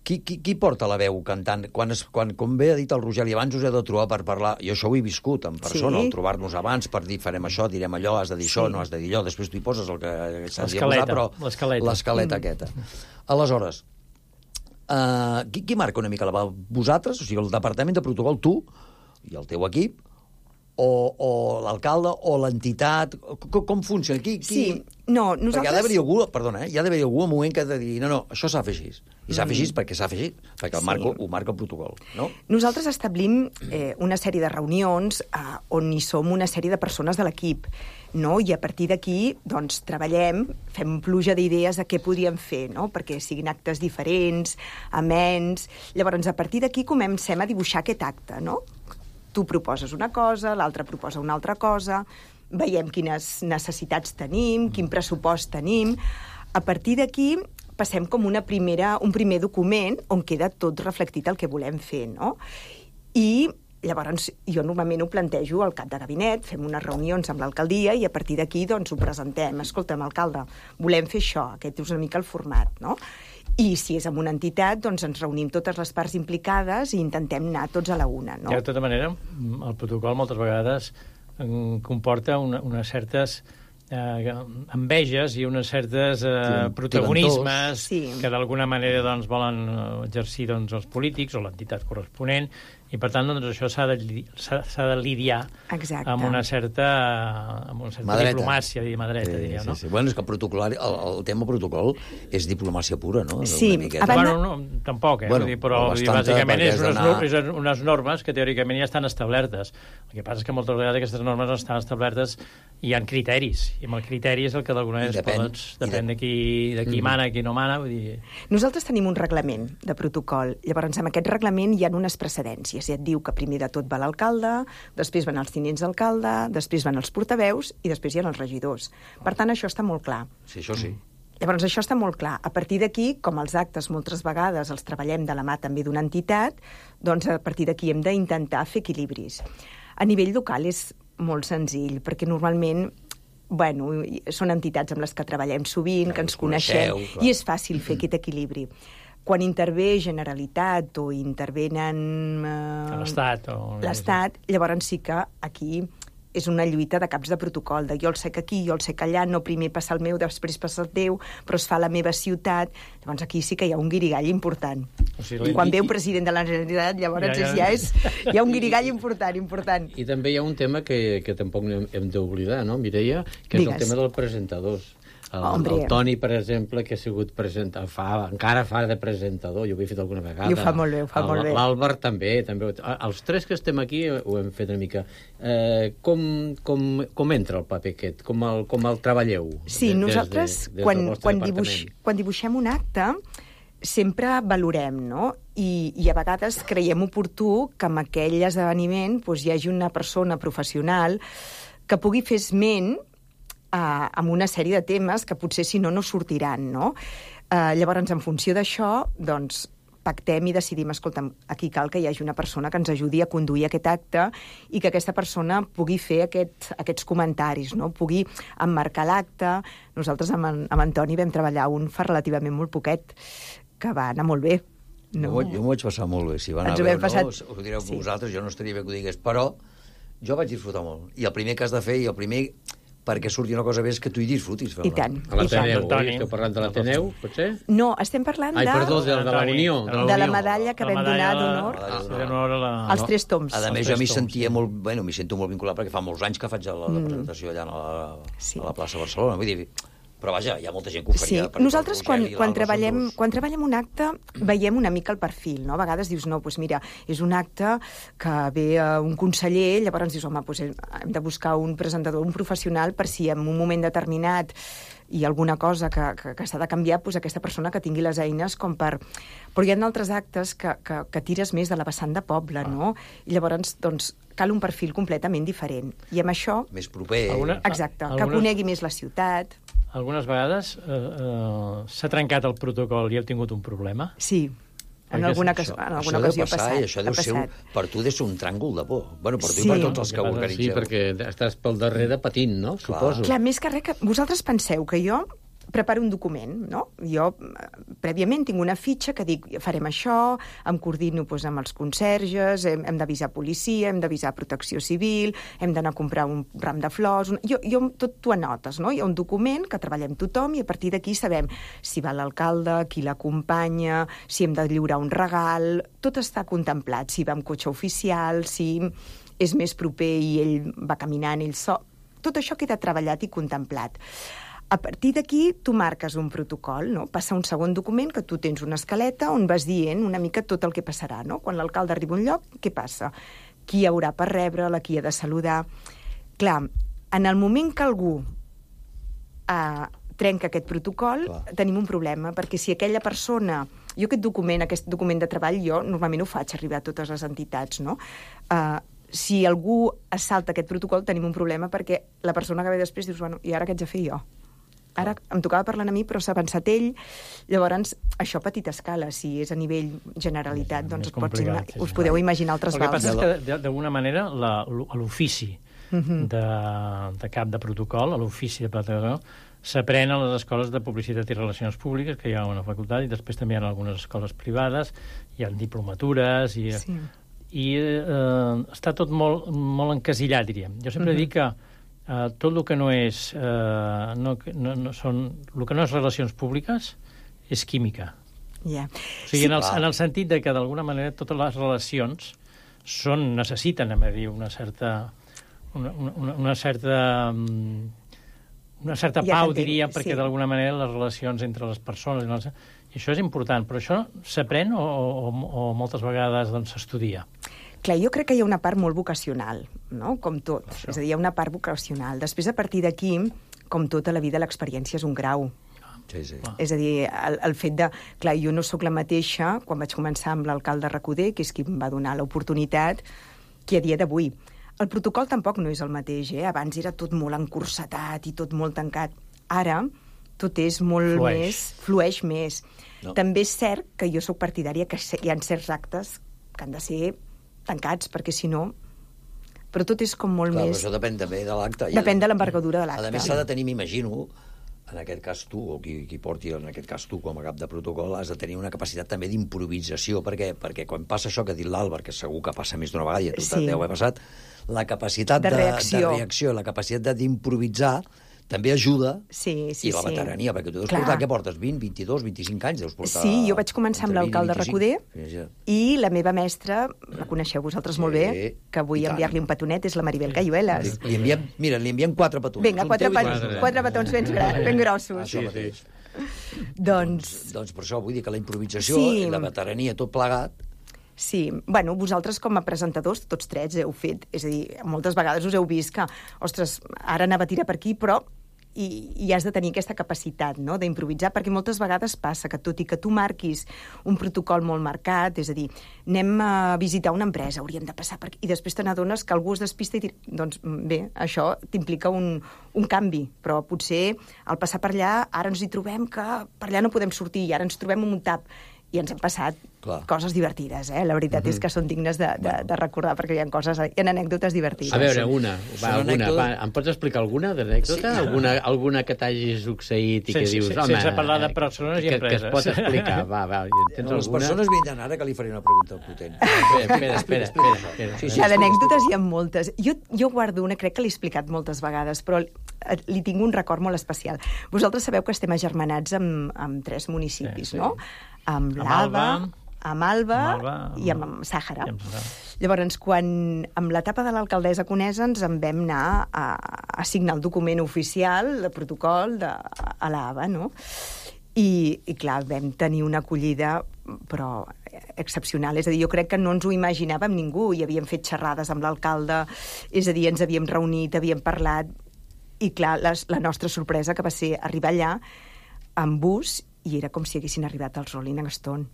qui porta la veu cantant? Com bé ha dit el Rogeli, abans us he de trobar per parlar. Jo això ho he viscut en persona, el trobar-nos abans per dir farem això, direm allò, has de dir això, no has de dir allò, després tu hi poses el que s'ha de posar, però l'escaleta aquesta. Aleshores, qui marca una mica la veu? Vosaltres, o sigui, el departament de protocol, tu i el teu equip, o l'alcalde, o l'entitat, com funciona? Nosaltres... Perquè hi ha d'haver algú, perdona, hi ha d'haver algú en un moment que ha de dir, no, això s'ha de fer així. I s'ha de fer així perquè s'ha de fer així, perquè ho marca el protocol, no? Nosaltres establim una sèrie de reunions on hi som una sèrie de persones de l'equip, no? I a partir d'aquí, doncs, treballem, fem pluja d'idees de què podríem fer, no? Perquè siguin actes diferents, amens... Llavors, a partir d'aquí comencem a dibuixar aquest acte, no? Tu proposes una cosa, l'altre proposa una altra cosa, veiem quines necessitats tenim, quin pressupost tenim. A partir d'aquí passem com un primer document on queda tot reflectit el que volem fer, no? I llavors jo normalment ho plantejo al cap de gabinet, fem unes reunions amb l'alcaldia i a partir d'aquí doncs ho presentem. Escolta'm, alcalde, volem fer això, aquest és una mica el format, no? I si és amb una entitat, doncs ens reunim totes les parts implicades i intentem anar tots a la una, no? De tota manera, el protocol moltes vegades comporta unes certes enveges i unes certes protagonismes que d'alguna manera doncs, volen exercir doncs, els polítics o l'entitat corresponent, i per tant doncs, això s'ha de lidiar amb una certa diplomàcia, diríem, no? Bueno, és que el tema protocol és diplomàcia pura, no? Sí, bueno, no, tampoc, però bàsicament és unes normes que teòricament ja estan establertes. El que passa és que moltes vegades aquestes normes no estan establertes i hi ha criteris, i amb el criteri és el que d'alguna manera depèn de qui mana, qui no mana. Vull dir... Nosaltres tenim un reglament de protocol, llavors amb aquest reglament hi ha unes precedències, i et diu que primer de tot va l'alcalde, després van els tinents d'alcalde, després van els portaveus i després hi ha els regidors. Per tant, això està molt clar. Sí, això sí. Llavors, això està molt clar. A partir d'aquí, com els actes moltes vegades els treballem de la mà també d'una entitat, doncs a partir d'aquí hem d'intentar fer equilibris. A nivell local és molt senzill, perquè normalment són entitats amb les que treballem sovint, que ens coneixem, i és fàcil fer aquest equilibri. Quan intervé Generalitat o intervenen l'Estat, llavors sí que aquí és una lluita de caps de protocol, de jo el sec aquí, jo el sec allà, no primer passa el meu, després passa el teu, però es fa a la meva ciutat. Llavors aquí sí que hi ha un guirigall important. Quan ve un president de la Generalitat, llavors hi ha un guirigall important. I també hi ha un tema que tampoc hem d'oblidar, no, Mireia? Que és el tema dels presentadors. El Toni, per exemple, que ha sigut encara fa de presentador, jo ho he fet alguna vegada. I ho fa molt bé, L'Àlvar també. Els tres que estem aquí ho hem fet una mica. Com entra el paper aquest? Com el treballeu? Sí, nosaltres, quan dibuixem un acte, sempre valorem, no? I a vegades creiem oportú que en aquell esdeveniment hi hagi una persona professional que pugui fer esment amb una sèrie de temes que potser si no sortiran, no? Llavors, en funció d'això, doncs, pactem i decidim, escolta'm, aquí cal que hi hagi una persona que ens ajudi a conduir aquest acte i que aquesta persona pugui fer aquests comentaris, no? Pugui emmarcar l'acte. Nosaltres amb Antoni vam treballar un fa relativament molt poquet, que va anar molt bé. No? Jo m'ho vaig passar molt bé. Si va anar bé o no, ho direu vosaltres, jo no estaria bé que ho digués, però jo vaig disfrutar molt. I el primer que has de fer, i el primer perquè surti una cosa bé és que tu hi disfrutis. I tant. A l'Ateneu, esteu parlant de l'Ateneu, potser? No, estem parlant de la Unió. De la medalla que vam donar d'honor als 3 toms. A més, jo m'hi sentia molt... Bueno, m'hi sento molt vinculat perquè fa molts anys que faig la presentació allà a la plaça Barcelona. Vull dir... Però vaja, hi ha molta gent que ho faria. Sí, nosaltres quan treballem un acte veiem una mica el perfil, no? A vegades dius, no, doncs mira, és un acte que ve un conseller, llavors dius, home, doncs hem de buscar un presentador, un professional, per si en un moment determinat hi ha alguna cosa que s'ha de canviar, doncs aquesta persona que tingui les eines com per... Però hi ha altres actes que tires més de la vessant de poble, no? I llavors, doncs, cal un perfil completament diferent. I amb això... Més proper. Exacte, que conegui més la ciutat. Algunes vegades s'ha trencat el protocol i heu tingut un problema? Sí, en alguna ocasió ha passat. Això deu ser, per tu, deu ser un tràngol de por. Bueno, per tu i per tots els que ho organitzeu. Sí, perquè estàs pel darrere patint, no? Suposo. Clar, més que res, vosaltres penseu que jo preparo un document, no? Jo, prèviament, tinc una fitxa que dic, farem això, em coordino amb els conserges, hem d'avisar policia, hem d'avisar protecció civil, hem d'anar a comprar un ram de flors... Jo tot t'ho anotes, no? Hi ha un document que treballem tothom i a partir d'aquí sabem si va l'alcalde, qui l'acompanya, si hem de lliurar un regal... Tot està contemplat, si va amb cotxe oficial, si és més proper i ell va caminant, ell sol... Tot això queda treballat i contemplat. A partir d'aquí, tu marques un protocol, no? Passa un segon document que tu tens una escaleta on vas dient una mica tot el que passarà, no? Quan l'alcalde arriba a un lloc, què passa? Qui hi haurà per rebre'l, qui ha de saludar... Clar, en el moment que algú trenca aquest protocol, tenim un problema, perquè si aquella persona... Jo aquest document de treball, jo normalment ho faig arribar a totes les entitats, no? Si algú es salta aquest protocol, tenim un problema, perquè la persona que ve després dius, bueno, i ara què haig de fer jo? Ara em tocava parlar a mi, però s'ha avançat ell. Llavors, això a petita escala, si és a nivell generalitat, doncs us podeu imaginar altres vals. El que passa és que, d'alguna manera, l'ofici de cap de protocol, l'ofici de protocol, s'aprèn a les escoles de publicitat i relacions públiques, que hi ha una facultat, i després també hi ha algunes escoles privades, hi ha diplomatures, i està tot molt encasillat, diríem. Jo sempre dic que tot el que no és el que no és relacions públiques és química. O sigui, en el sentit de que d'alguna manera totes les relacions necessiten una certa pau, diríem, perquè d'alguna manera les relacions entre les persones i això és important, però això s'aprèn o moltes vegades s'estudia? Clar, jo crec que hi ha una part molt vocacional, no? Com tot. És a dir, hi ha una part vocacional. Després, a partir d'aquí, com tota la vida, l'experiència és un grau. Sí. És a dir, el fet de... Clar, jo no sóc la mateixa quan vaig començar amb l'alcalde Recoder, que és qui em va donar l'oportunitat, que a dia d'avui. El protocol tampoc no és el mateix, eh? Abans era tot molt encursetat i tot molt tancat. Ara, tot és molt flueix més. No. També és cert que jo sóc partidària que hi ha certs actes que han de ser tancats, perquè si no... Però tot és com molt més... Això depèn també de l'acte. Depèn de l'envergadura de l'acte. A més, s'ha de tenir, m'imagino, en aquest cas tu, o qui porti, en aquest cas tu, com a cap de protocol, has de tenir una capacitat també d'improvisació, perquè quan passa això que ha dit l'Àlvar, que segur que passa més d'una vegada, i a tu deu haver passat, la capacitat de reacció, la capacitat d'improvisar, també ajuda, i la veterania, perquè tu deus portar, què portes? 20, 22, 25 anys deus portar... Sí, jo vaig començar amb l'alcalde Recoder, i la meva mestra, la coneixeu vosaltres molt bé, que vull enviar-li un petonet, és la Maribel Cayuelas. Li enviem 4 petons. Vinga, 4 petons ben grossos. Això mateix. Doncs per això vull dir que la improvisació i la veterania, tot plegat... Sí, bueno, vosaltres com a presentadors, tots 3 heu fet, és a dir, moltes vegades us heu vist que, ostres, ara anava a tirar per aquí, però i has de tenir aquesta capacitat, no?, d'improvisar, perquè moltes vegades passa que tot i que tu marquis un protocol molt marcat, és a dir, anem a visitar una empresa, hauríem de passar per aquí, i després te n'adones que algú es despista i doncs bé, això t'implica un canvi, però potser al passar per allà ara ens hi trobem que per allà no podem sortir i ara ens trobem en un tap i ens han passat coses divertides, eh? La veritat és que són dignes de recordar, perquè hi ha anècdotes divertides. A veure, em pots explicar alguna d'anècdota? Alguna que t'hagi succeït i que dius, home... Sense parlar de persones i empreses. Que es pot explicar, va. Les persones vindran ara, que li faré una pregunta potent. Espera. D'anècdotes hi ha moltes. Jo guardo una, crec que l'he explicat moltes vegades, però li tinc un record molt especial. Vosaltres sabeu que estem agermanats amb 3 municipis, no? Amb l'Alba, amb Alba i amb Sàhara. Llavors, quan amb l'etapa de l'alcaldessa Conesa ens en vam anar a signar el document oficial, el protocol a l'ABA, no? I clar, vam tenir una acollida però excepcional. És a dir, jo crec que no ens ho imaginàvem ningú, i havíem fet xerrades amb l'alcalde, és a dir, ens havíem reunit, havíem parlat, i clar, la nostra sorpresa que va ser arribar allà amb bus, i era com si haguessin arribat als Rolling Stone.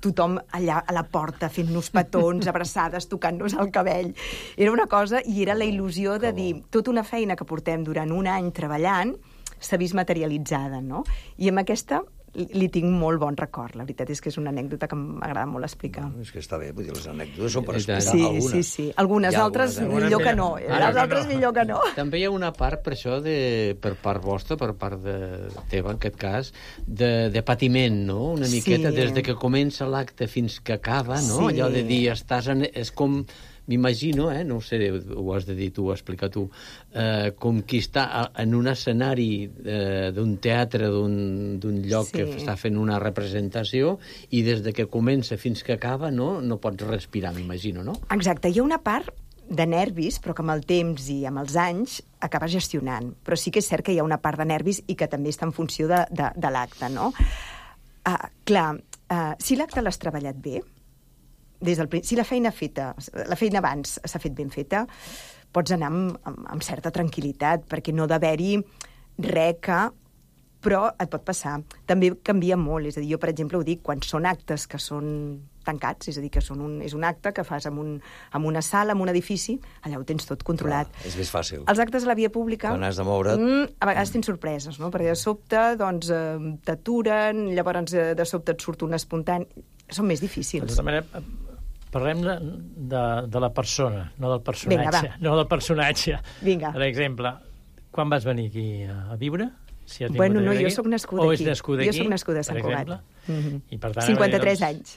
Tothom allà a la porta fent-nos petons, abraçades, tocant-nos el cabell. Era una cosa, i era la il·lusió de dir, tota una feina que portem durant un any treballant s'ha vist materialitzada, no? I amb aquesta li tinc molt bon record. La veritat és que és una anècdota que m'agrada molt explicar. És que està bé, vull dir, les anècdotes són per explicar algunes. Sí. Algunes altres millor que no. Les altres millor que no. També hi ha una part, per això, per part vostra, per part teva, en aquest cas, de patiment, no? Una miqueta, des de que comença l'acte fins que acaba, no? Allò de dir, és com... M'imagino, no ho sé, ho has de dir tu, ho explicar tu, com qui està en un escenari d'un teatre, d'un lloc que està fent una representació, i des de que comença fins que acaba no pots respirar, m'imagino, no? Exacte, hi ha una part de nervis, però que amb el temps i amb els anys acabes gestionant. Però sí que és cert que hi ha una part de nervis i que també està en funció de l'acte, no? Clar, si l'acte l'has treballat bé, si la feina abans s'ha fet ben feta, pots anar amb certa tranquil·litat, perquè no d'haver-hi res que... Però et pot passar. També canvia molt. És a dir, jo, per exemple, ho dic, quan són actes que són tancats, és a dir, que és un acte que fas en una sala, en un edifici, allà ho tens tot controlat. És més fàcil. Els actes a la via pública... Quan has de moure't... A vegades tens sorpreses, no? Perquè de sobte, doncs, t'aturen, llavors de sobte et surt un espontani... Són més difícils. De tota manera, parlem de la persona, no del personatge. Vinga, no del personatge. Vinga. Per exemple, quan vas venir aquí a viure? Bueno, no, jo soc nascuda aquí. O és nascuda aquí, jo soc nascuda a Sant Cugat. I per tant, 53 anys.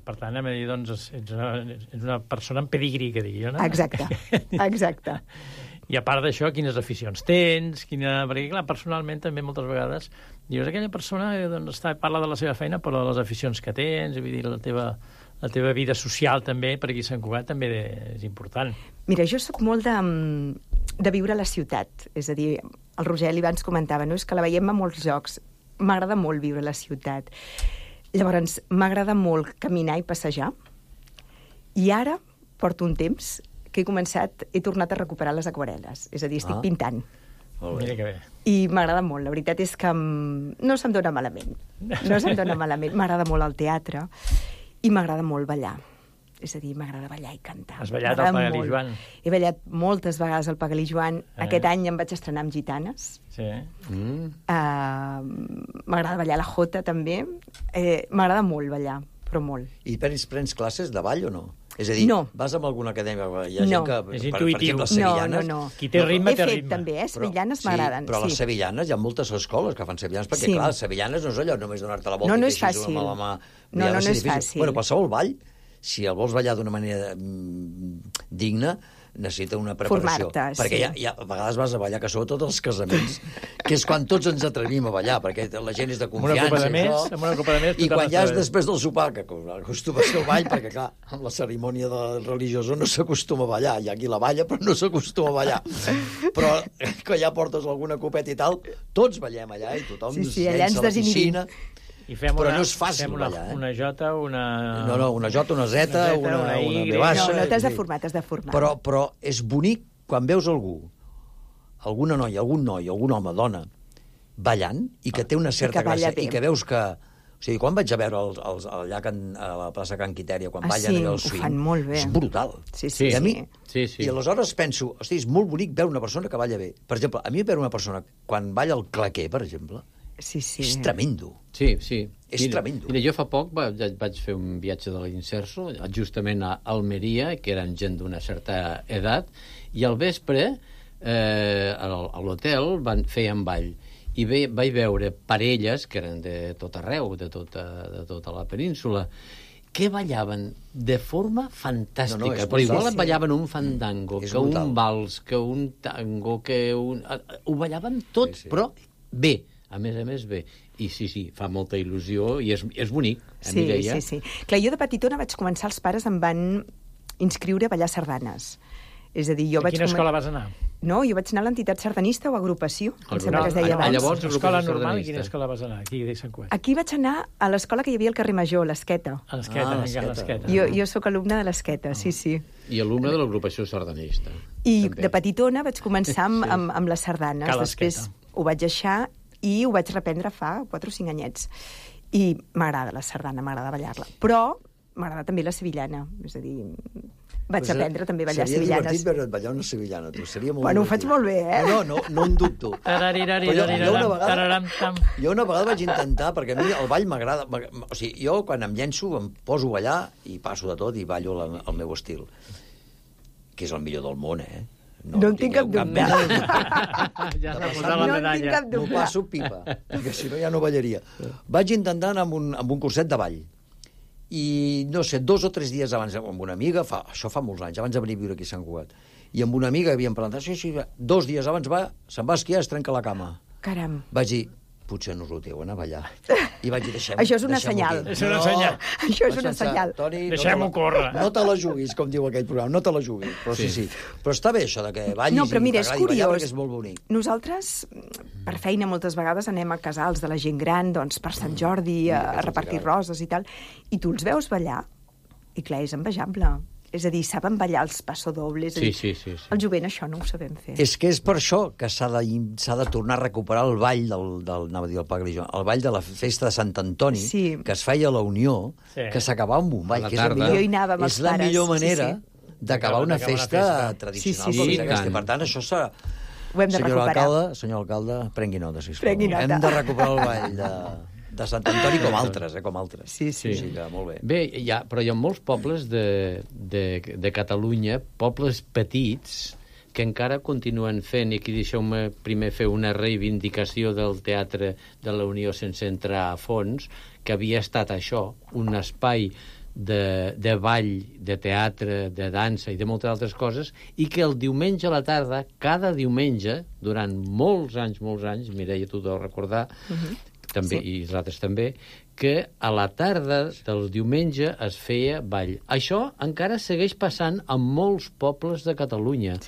Per tant, doncs, ets una persona amb pedigrí, que digui jo, no? Exacte. I a part d'això, quines aficions tens? Perquè, clar, personalment, també moltes vegades dius, aquella persona doncs, parla de la seva feina, però de les aficions que tens, vull dir, la teva vida social també, per aquí a Sant Cugat, també és important. Mira, jo sóc molt de viure a la ciutat. És a dir, el Rogeli abans comentava, no? És que la veiem a molts llocs. M'agrada molt viure a la ciutat. Llavors, m'agrada molt caminar i passejar. I ara porto un temps que he tornat a recuperar les aquarel·les. És a dir, estic pintant. Mira que bé. I m'agrada molt. La veritat és que no se'm dona malament. M'agrada molt el teatre i m'agrada molt ballar. És a dir, m'agrada ballar i cantar. Has ballat al Pagalí Joan? He ballat moltes vegades al Pagalí Joan. Aquest any em vaig estrenar amb Gitanes. Sí. M'agrada ballar la jota, també. M'agrada molt ballar, però molt. I prens classes de ball o no? És a dir, vas amb alguna acadèmia? Hi ha gent que, és intuïtiu. Per exemple, sevillanes... No. Qui té ritme, té ritme. He fet també, sevillanes m'agraden. Però les sevillanes, hi ha moltes escoles que fan sevillanes, perquè, clar, sevillanes no és allò només donar-te la volta i fer així amb la mà. No és fàcil. Bueno, qualsevol ball, si el vols ballar d'una manera digna, necessita una preparació. Formar-te, perquè a vegades vas a ballar, que sobretot els casaments, que és quan tots ens atrevim a ballar, perquè la gent és de confiança. Amb una copa de més, i quan ja és després del sopar, que acostuma a ser el ball, perquè clar, amb la cerimònia religiosa no s'acostuma a ballar. Hi ha qui la balla, però no s'acostuma a ballar. Però que ja portes alguna copeta i tal, tots ballem allà i tothom allà ens a la piscina. Però no és fàcil ballar, una jota, una... No, una jota, una zeta, una B baixa... No, t'has de formar, Però és bonic quan veus algú alguna noia, algun noi, algun home, dona, ballant, i que té una certa gràcia, i que veus que... O sigui, quan vaig a veure allà a la plaça Can Quitèria, quan ballen allò al swing... ho fan molt bé. És brutal. Sí. I aleshores penso, hosti, és molt bonic veure una persona que balla bé. Per exemple, a mi veure una persona quan balla el claquer, per exemple, és tremendo. Sí. És tremendo. Mira, jo fa poc vaig fer un viatge de l'Inserso, justament a Almeria, que eren gent d'una certa edat, i al vespre, a l'hotel, feien ball. I vaig veure parelles, que eren de tot arreu, de tota la península, que ballaven de forma fantàstica. Però igual ballaven un fandango, que un vals, que un tango, ho ballaven tot, però bé. A més bé. I sí, fa molta il·lusió i és bonic. Sí. Clar, jo de petitona vaig començar, els pares em van inscriure a ballar sardanes. És a dir, jo vaig... A quina escola vas anar? No, jo vaig anar a l'entitat sardanista o agrupació, em sembla que es deia abans. Llavors, l'escola normal, i quina escola vas anar? Aquí vaig anar a l'escola que hi havia al carrer Major, l'Esqueta. A l'Esqueta. Jo sóc alumna de l'Esqueta, sí. I alumna de l'agrupació sardanista. I de petitona vaig començar amb les sardanes. Després ho vaig deixar i ho vaig reprendre fa 4 o 5 anyets. I m'agrada la sardana, m'agrada ballar-la. Però m'agrada també la sevillana, és a dir... Vaig aprendre també a ballar sevillanes. Seria divertit veure't ballar una sevillana, tu. Seria molt ho faig molt bé, eh? No en dubto. Jo una vegada vaig intentar, perquè a mi el ball m'agrada... O sigui, jo quan em llenço em poso a ballar i passo de tot i ballo el meu estil. Que és el millor del món, eh? No en tinc cap dubte. Ja s'ha posat la medalla. M'ho passo pipa, perquè si no ja no ballaria. Vaig intentar anar amb un curset de ball. I, no sé, 2 o 3 dies abans, amb una amiga, això fa molts anys, abans de venir a viure aquí a Sant Cugat, i amb una amiga havíem parlat, sí, 2 dies abans se'n va esquiar, es trenca la cama. Caram. Vaig dir, potser no us ho teu, anar a ballar. I vaig dir, això és una senyal. Això és una senyal. Toni, deixem-ho córrer. No te la juguis, com diu aquell programa, no te la juguis. Però sí. Però està bé això de que ballis i t'agradi ballar, perquè és molt bonic. Nosaltres, per feina, moltes vegades anem a casals de la gent gran, doncs per Sant Jordi, a repartir roses i tal, i tu els veus ballar, i clar, és envejable. És a dir, saben ballar els passodobles. Sí. El jovent això no ho sabem fer. És que és per això que s'ha de tornar a recuperar el ball el ball de la festa de Sant Antoni, que es feia a la Unió, que s'acabava amb un ball. És la millor manera d'acabar una festa tradicional. Per tant, això s'ha... Ho hem de recuperar. Senyor alcalde, prengui nota, sisplau. Hem de recuperar el ball de Sant Antoni com altres, Sí. Molt bé. Bé, però hi ha molts pobles de Catalunya, pobles petits, que encara continuen fent, i aquí deixeu-me primer fer una reivindicació del Teatre de la Unió sense entrar a fons, que havia estat això, un espai de ball, de teatre, de dansa i de moltes altres coses, i que el diumenge a la tarda, cada diumenge, durant molts anys, Mireia, tu deus recordar, també, i els altres també, que a la tarda del diumenge es feia ball. Això encara segueix passant en molts pobles de Catalunya,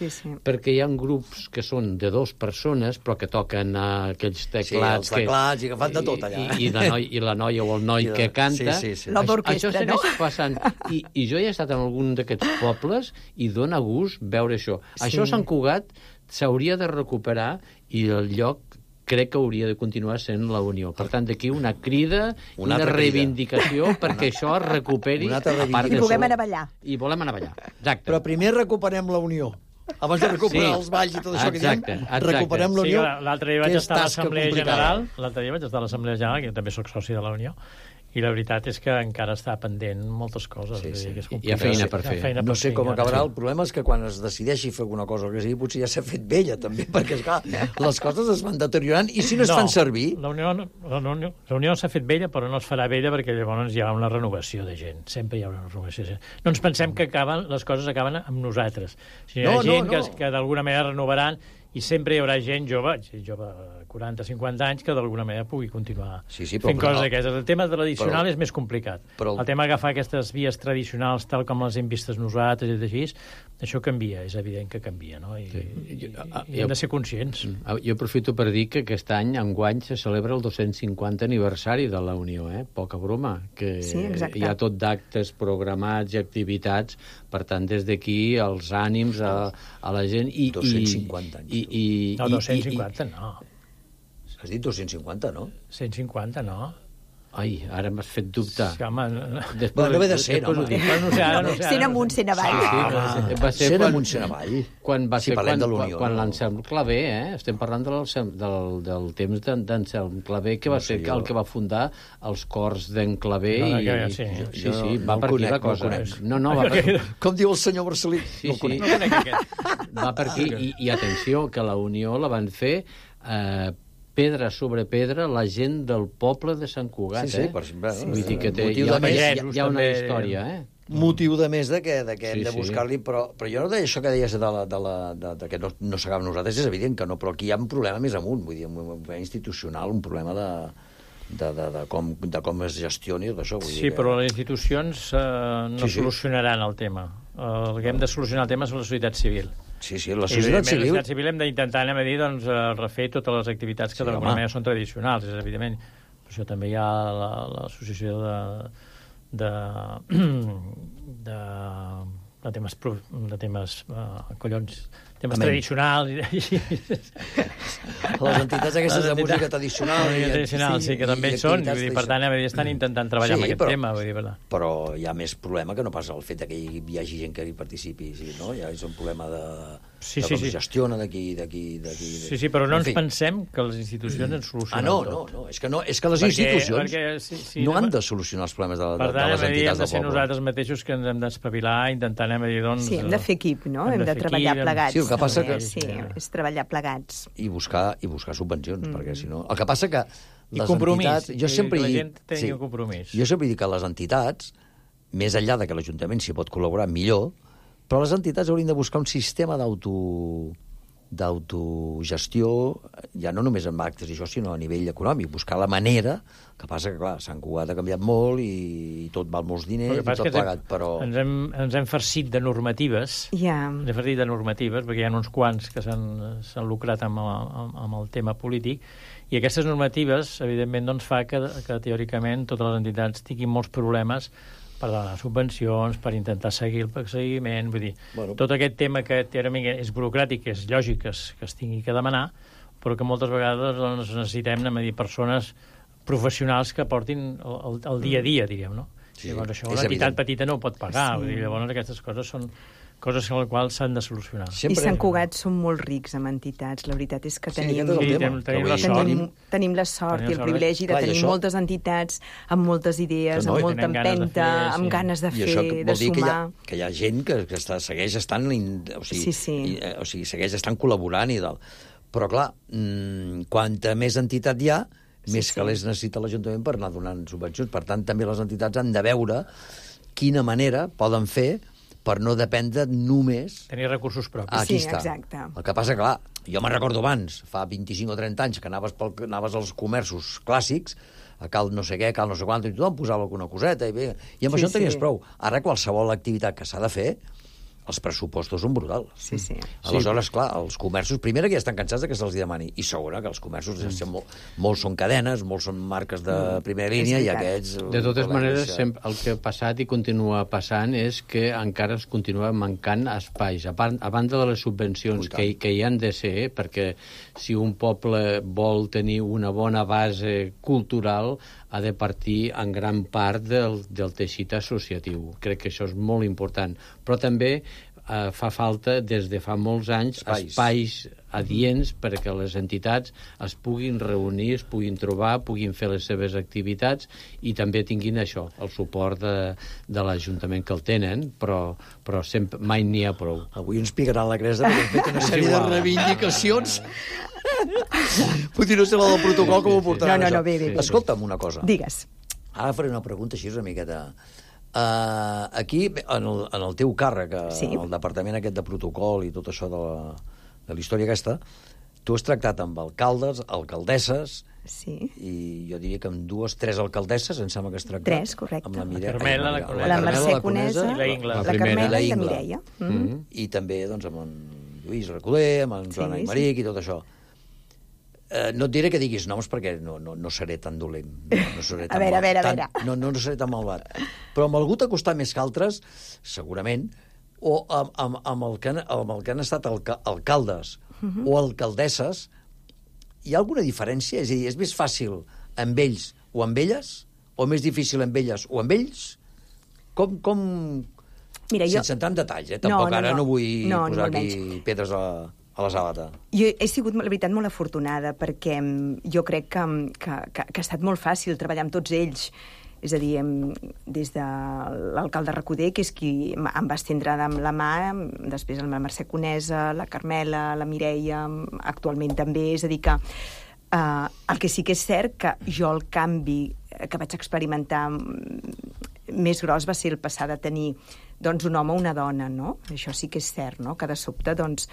perquè hi ha grups que són de 2 persones, però que toquen aquells teclats... Sí, els teclats, i que fan de tot allà. I la noia o el noi que canta. L'orquestra, això segueix passant. I jo he estat en algun d'aquests pobles i dona gust veure això. Això a Sant Cugat s'hauria de recuperar, i el lloc crec que hauria de continuar sent la Unió. Per tant, d'aquí una crida, una reivindicació perquè això es recuperi. I puguem anar a ballar. I volem anar a ballar, exacte. Però primer recuperem la Unió. Abans de recuperar els balls i tot això que diem, recuperem la Unió. L'altre dia vaig estar a l'Assemblea General, que també soc soci de la Unió, i la veritat és que encara està pendent moltes coses. Hi ha feina per fer. No sé com acabarà. El problema és que quan es decideixi fer alguna cosa que sigui, potser ja s'ha fet vella, també, perquè, esclar, les coses es van deteriorant, i si no es fan servir... La Unió s'ha fet vella, però no es farà vella perquè llavors hi ha una renovació de gent. Sempre hi ha una renovació de gent. No ens pensem que les coses acaben amb nosaltres. Si hi ha gent que d'alguna manera renovaran, i sempre hi haurà gent jove 40-50 anys, que d'alguna manera pugui continuar fent coses d'aquestes. El tema tradicional és més complicat. El tema d'agafar aquestes vies tradicionals tal com les hem vistes nosaltres i així, això canvia, és evident que canvia, no? I hem de ser conscients. Jo aprofito per dir que aquest any, enguany, se celebra el 250 aniversari de la Unió, poca broma, que hi ha tot d'actes programats i activitats, per tant, des d'aquí, els ànims a la gent... 250 anys. No, 250 no. Has dit 250, no? 150, no. Ai, ara m'has fet dubtar. No ve de ser, home. Sent amunt, sent avall. Sent amunt, sent avall. Si parlem de l'Unió. Quan l'Anselm Clavé, estem parlant del temps d'Anselm Clavé, que va ser el que va fundar els cors d'en Clavé. Sí, va per aquí la cosa. No, va per aquí. Com diu el senyor Marcelí. Sí, va per aquí. I atenció, que la Unió la van fer pedra sobre pedra la gent del poble de Sant Cugat. Vull dir que hi ha una història, motiu de més que hem de buscar-li, però jo no deia això que deies de que no s'agafem nosaltres, és evident que no, però aquí hi ha un problema més amunt, vull dir, un problema institucional, un problema de com es gestioni tot això. Sí, però les institucions no solucionaran el tema. El que hem de solucionar el tema és la societat civil. Sí, la societat civil... La societat civil hem d'intentar, refer totes les activitats que d'alguna manera són tradicionals, és evident. Per això també hi ha l'associació de temes collons, temes tradicionals. Les entitats aquestes de música tradicional. Sí, que també són, per tant, estan intentant treballar amb aquest tema. Però hi ha més problema que no pas el fet que hi hagi gent que hi participi, no? Ja és un problema de com es gestiona d'aquí. Sí, però no ens pensem que les institucions ens solucionen tot. No, és que les institucions no han de solucionar els problemes de les entitats del poble. Per tant, hem de ser nosaltres mateixos que ens hem d'espavilar, intentant, Sí, hem de fer equip, no? Hem de treballar plegats. Sí, el que passa que... Sí, és treballar plegats. I buscar subvencions, perquè si no... El que passa que les entitats... Jo sempre dic que les entitats, més enllà de que l'Ajuntament s'hi pot col·laborar millor, però les entitats haurien de buscar un sistema d'autogestió, ja no només amb actes i això, sinó a nivell econòmic, buscar la manera, que passa que, clar, Sant Cugat ha canviat molt i tot val molts diners i tot plegat, però... Ens hem farcit de normatives, perquè hi ha uns quants que s'han lucrat amb el tema polític, i aquestes normatives, evidentment, doncs, fa que teòricament totes les entitats tinguin molts problemes per donar subvencions, per intentar seguir el seguiment, vull dir, tot aquest tema que teòricament és burocràtic, és lògic que es tingui que demanar, però que moltes vegades necessitem persones professionals que portin el dia a dia, diguem, no? Llavors això una entitat petita no ho pot pagar, vull dir, llavors aquestes coses són coses amb les quals s'han de solucionar. I Sant Cugat som molt rics amb entitats. La veritat és que tenim la sort i el privilegi de tenir moltes entitats amb moltes idees, amb molta empenta, amb ganes de fer, de sumar. I això vol dir que hi ha gent que segueix estant... O sigui, segueix estant col·laborant i tal. Però, clar, quanta més entitat hi ha, més calés necessita l'Ajuntament per anar donant subvencions. Per tant, també les entitats han de veure quina manera poden fer per no dependre només... Tenir recursos propis. Aquí està. Exacte. El que passa, clar, jo me'n recordo abans, fa 25 o 30 anys, que anaves als comerços clàssics, a cal no sé què, cal no sé quant, i tothom posava alguna coseta, i amb això en tenies prou. Ara, qualsevol activitat que s'ha de fer, els pressupostos són brutals. Aleshores, clar, els comerços, primera, que ja estan cansats que se'ls demani, i segona, que els comerços molts són cadenes, molts són marques de primera línia, i aquests... De totes maneres, el que ha passat i continua passant és que encara es continua mancant espais. A banda de les subvencions que hi han de ser, perquè si un poble vol tenir una bona base cultural, ha de partir en gran part del teixit associatiu. Crec que això és molt important. Però també fa falta, des de fa molts anys, espais adients perquè les entitats es puguin reunir, es puguin trobar, puguin fer les seves activitats i també tinguin això, el suport de l'Ajuntament que el tenen, però sempre, mai n'hi ha prou. Avui ens picaran la cresta perquè hem fet una sèrie de reivindicacions. Potser no sé la del protocol com ho portaran això. Bé. Escolta'm una cosa. Digues. Ara faré una pregunta així una miqueta... Aquí, en el teu càrrec, el departament aquest de protocol i tot això de la història aquesta, Tu has tractat amb alcaldes, alcaldesses, sí. I jo diria que amb 2, 3 alcaldesses, em sembla que has tractat. 3, correcte. Amb la Carmela, la Mercè Conesa, i la Ingla. La Carmela i la Mireia. I també doncs, amb en Lluís Recoder, amb en Joan Aymeric i tot això. No et diré que diguis noms perquè no seré tan dolent. No seré tan a veure. No seré tan malvat. Però amb algú t'ha costat més que altres, segurament, o amb el que han estat alcaldes o alcaldesses, hi ha alguna diferència? És a dir, és més fàcil amb ells o amb elles? O més difícil amb elles o amb ells? Com... Mira, sense entrar en detalls, tampoc ara no vull posar aquí pedres a la sabata. Jo he sigut, la veritat, molt afortunada perquè jo crec que ha estat molt fàcil treballar amb tots ells. És a dir, des de l'alcalde Recoder, que és qui em va estendre amb la mà, després la Mercè Conesa, la Carmela, la Mireia, actualment també. És a dir, que el que sí que és cert que jo el canvi que vaig experimentar més gros va ser el passar de tenir doncs, un home o una dona, no? Això sí que és cert, no? Que de sobte, doncs...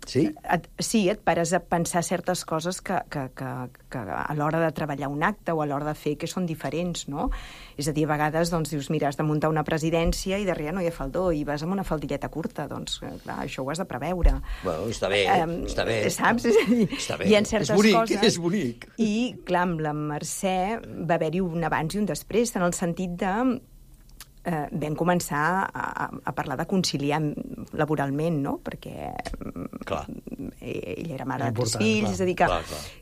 Sí? Et pares a pensar certes coses que a l'hora de treballar un acte o a l'hora de fer que són diferents, no? És a dir, a vegades doncs, dius, mira, has de muntar una presidència i darrere no hi ha faldó i vas amb una faldilleta curta, doncs, clar, això ho has de preveure. Bueno, està bé, està bé. Saps? És a dir, està bé. Hi ha certes coses... És bonic. I, clar, amb la Mercè va haver-hi un abans i un després, en el sentit de... vam començar a parlar de conciliar laboralment, no? Perquè ell era mare de 3 fills, és a dir que...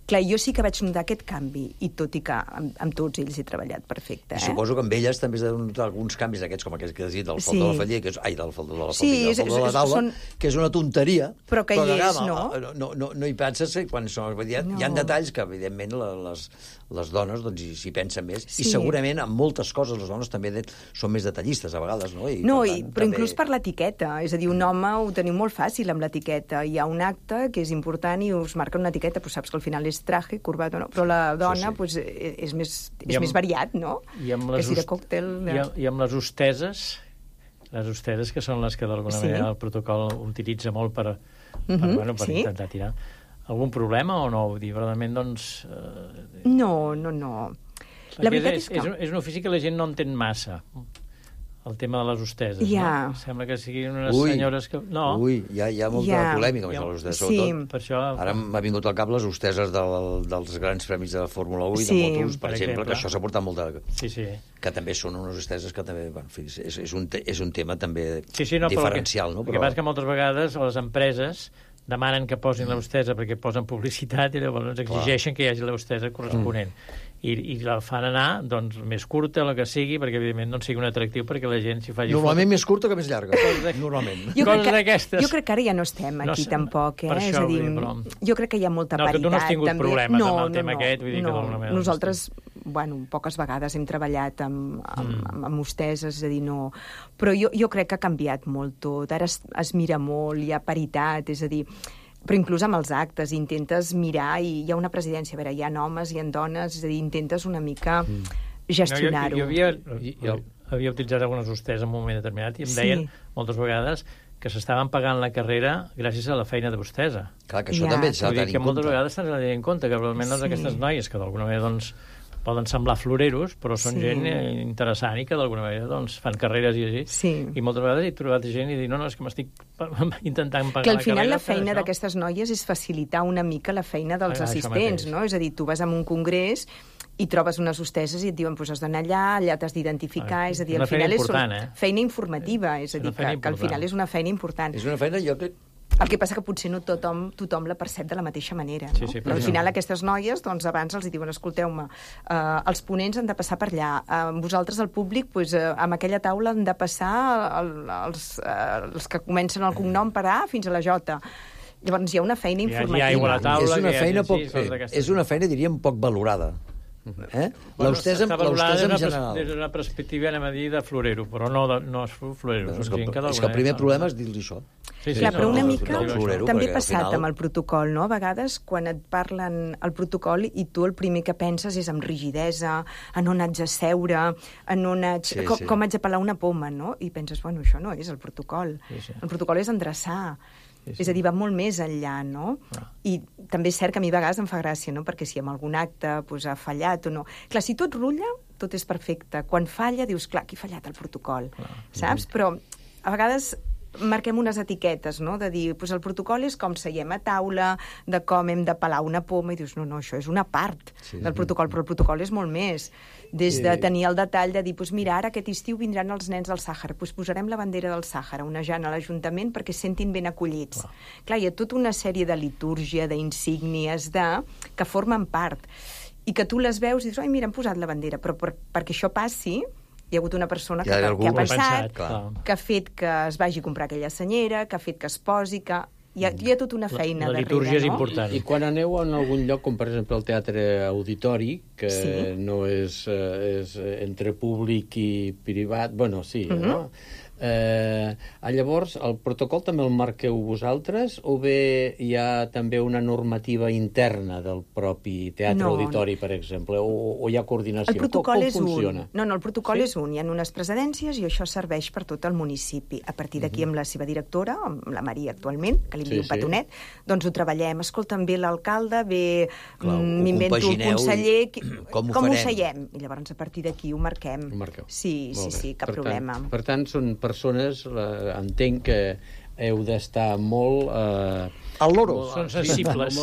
Clar, jo sí que vaig notar aquest canvi, i tot i que amb tots ells he treballat perfecte. I suposo que amb elles també has de notar alguns canvis d'aquests, com aquest que has dit, del faldó de la faldilla, del faldó de la faldilla, del faldó de la taula, que és una tonteria, però que hi és, no? No hi penses quan són... Hi ha detalls que, evidentment, les dones s'hi pensen més, i segurament en moltes coses les dones també són més detallistes a vegades, no? Però inclús per l'etiqueta, és a dir, un home ho teniu molt fàcil amb l'etiqueta, hi ha un acte que és important i us marca una etiqueta, però saps que al final és traje, corbata, no? Però la dona és més variat, no? Que si de còctel... I amb les hosteses que són les que d'alguna manera el protocol utilitza molt per intentar tirar. Algun problema o no? Vull dir, verdaderament, doncs... No. La veritat és que... És un ofici que la gent no entén massa, el tema de les hosteses, no? Sembla que siguin unes senyores que... No. Hi ha molta polèmica amb les hosteses, sobretot. Per això... Ara m'ha vingut al cap les hosteses dels grans premis de Fórmula 1 i de motos, per exemple, que això s'ha portat molt de... Que també són unes hosteses que també... És un tema també diferencial, no? El que passa que moltes vegades les empreses demanen que posin l'hostesa perquè posen publicitat i llavors exigeixen que hi hagi l'hostesa corresponent. I la fan anar doncs, més curta, el que sigui, perquè evidentment no sigui un atractiu perquè la gent s'hi faci... Normalment més curta que més llarga. Normalment. Coses d'aquestes. Jo crec que ara ja no estem aquí tampoc, eh? És a dir, jo crec que hi ha molta paritat. No, que tu no has tingut problemes amb el tema aquest, vull dir que d'alguna manera... Nosaltres, poques vegades hem treballat amb hosteses, és a dir, no... Però jo crec que ha canviat molt tot. Ara es mira molt, hi ha paritat, és a dir... Però inclús amb els actes intentes mirar i hi ha una presidència, a veure, hi ha homes, hi ha dones, és a dir, intentes una mica gestionar-ho. Jo havia utilitzat algunes hostes en un moment determinat i em deien moltes vegades que s'estaven pagant la carrera gràcies a la feina de hostesa. Clar, que això també s'ha de tenir en compte. Que moltes vegades s'ha de tenir en compte, que realment aquestes noies que d'alguna manera doncs poden semblar floreros, però són gent interessant i que d'alguna manera doncs, fan carreres i així. I moltes vegades he trobat gent i dic, no, és que m'estic intentant pagar la carrera. Que al final la feina d'aquestes noies és facilitar una mica la feina dels assistents, no? És a dir, tu vas a un congrés i trobes unes hosteses i et diuen, doncs has d'anar allà t'has d'identificar, és a dir, al final és feina informativa, és a dir, que al final és una feina important. És una feina, jo crec... El que passa que potser no tothom la percep de la mateixa manera, no? Però al final aquestes noies, doncs abans els diuen, escolteu-me, els ponents han de passar per allà, vosaltres, el públic, amb aquella taula han de passar els que comencen el cognom per A fins a la J. Llavors hi ha una feina informativa. És una feina, diríem, poc valorada. L'hostesa en general. Des d'una perspectiva, anem a dir, de florero, però no és florero. És que el primer problema és dir-li això. Clar, però una mica també ha passat amb el protocol, no? A vegades, quan et parlen el protocol i tu el primer que penses és amb rigidesa, en on haig de seure, com haig de pelar una poma, no? I penses, bueno, això no és el protocol. El protocol és endreçar. És a dir, va molt més enllà, no? I també és cert que a mi a vegades em fa gràcia, no? Perquè si en algun acte ha fallat o no... Clar, si tot rutlla, tot és perfecte. Quan falla, dius, clar, aquí ha fallat el protocol, saps? Però a vegades marquem unes etiquetes, no? De dir, el protocol és com seiem a taula, de com hem de pelar una poma, i dius, no, això és una part del protocol, però el protocol és molt més. Des de tenir el detall de dir, mira, ara aquest estiu vindran els nens del Sàhara, posarem la bandera del Sàhara onejant a l'Ajuntament perquè es sentin ben acollits. Clar, hi ha tota una sèrie de litúrgia, d'insígnies, que formen part, i que tu les veus i dius, ai, mira, hem posat la bandera, però perquè això passi, hi ha hagut una persona que ha pensat, que ha fet que es vagi a comprar aquella senyera, que ha fet que es posi, que... Hi ha tota una feina darrere, no? La litúrgia és important. I quan aneu en algun lloc, com per exemple el Teatre Auditori, que no és entre públic i privat, bueno, sí, no? Llavors, el protocol també el marqueu vosaltres o bé hi ha també una normativa interna del propi Teatre Auditori, per exemple, o hi ha coordinació? El protocol és un. No, el protocol és un. Hi ha unes precedències i això serveix per tot el municipi. A partir d'aquí, amb la seva directora, amb la Maria actualment, que li diu Petonet, doncs ho treballem. Escolta, ve l'alcalde, m'invento el conseller, com ho seiem? I llavors, a partir d'aquí, ho marquem. Sí, cap problema. Per tant, són persones, entenc que heu d'estar molt... al loro. Són sensibles.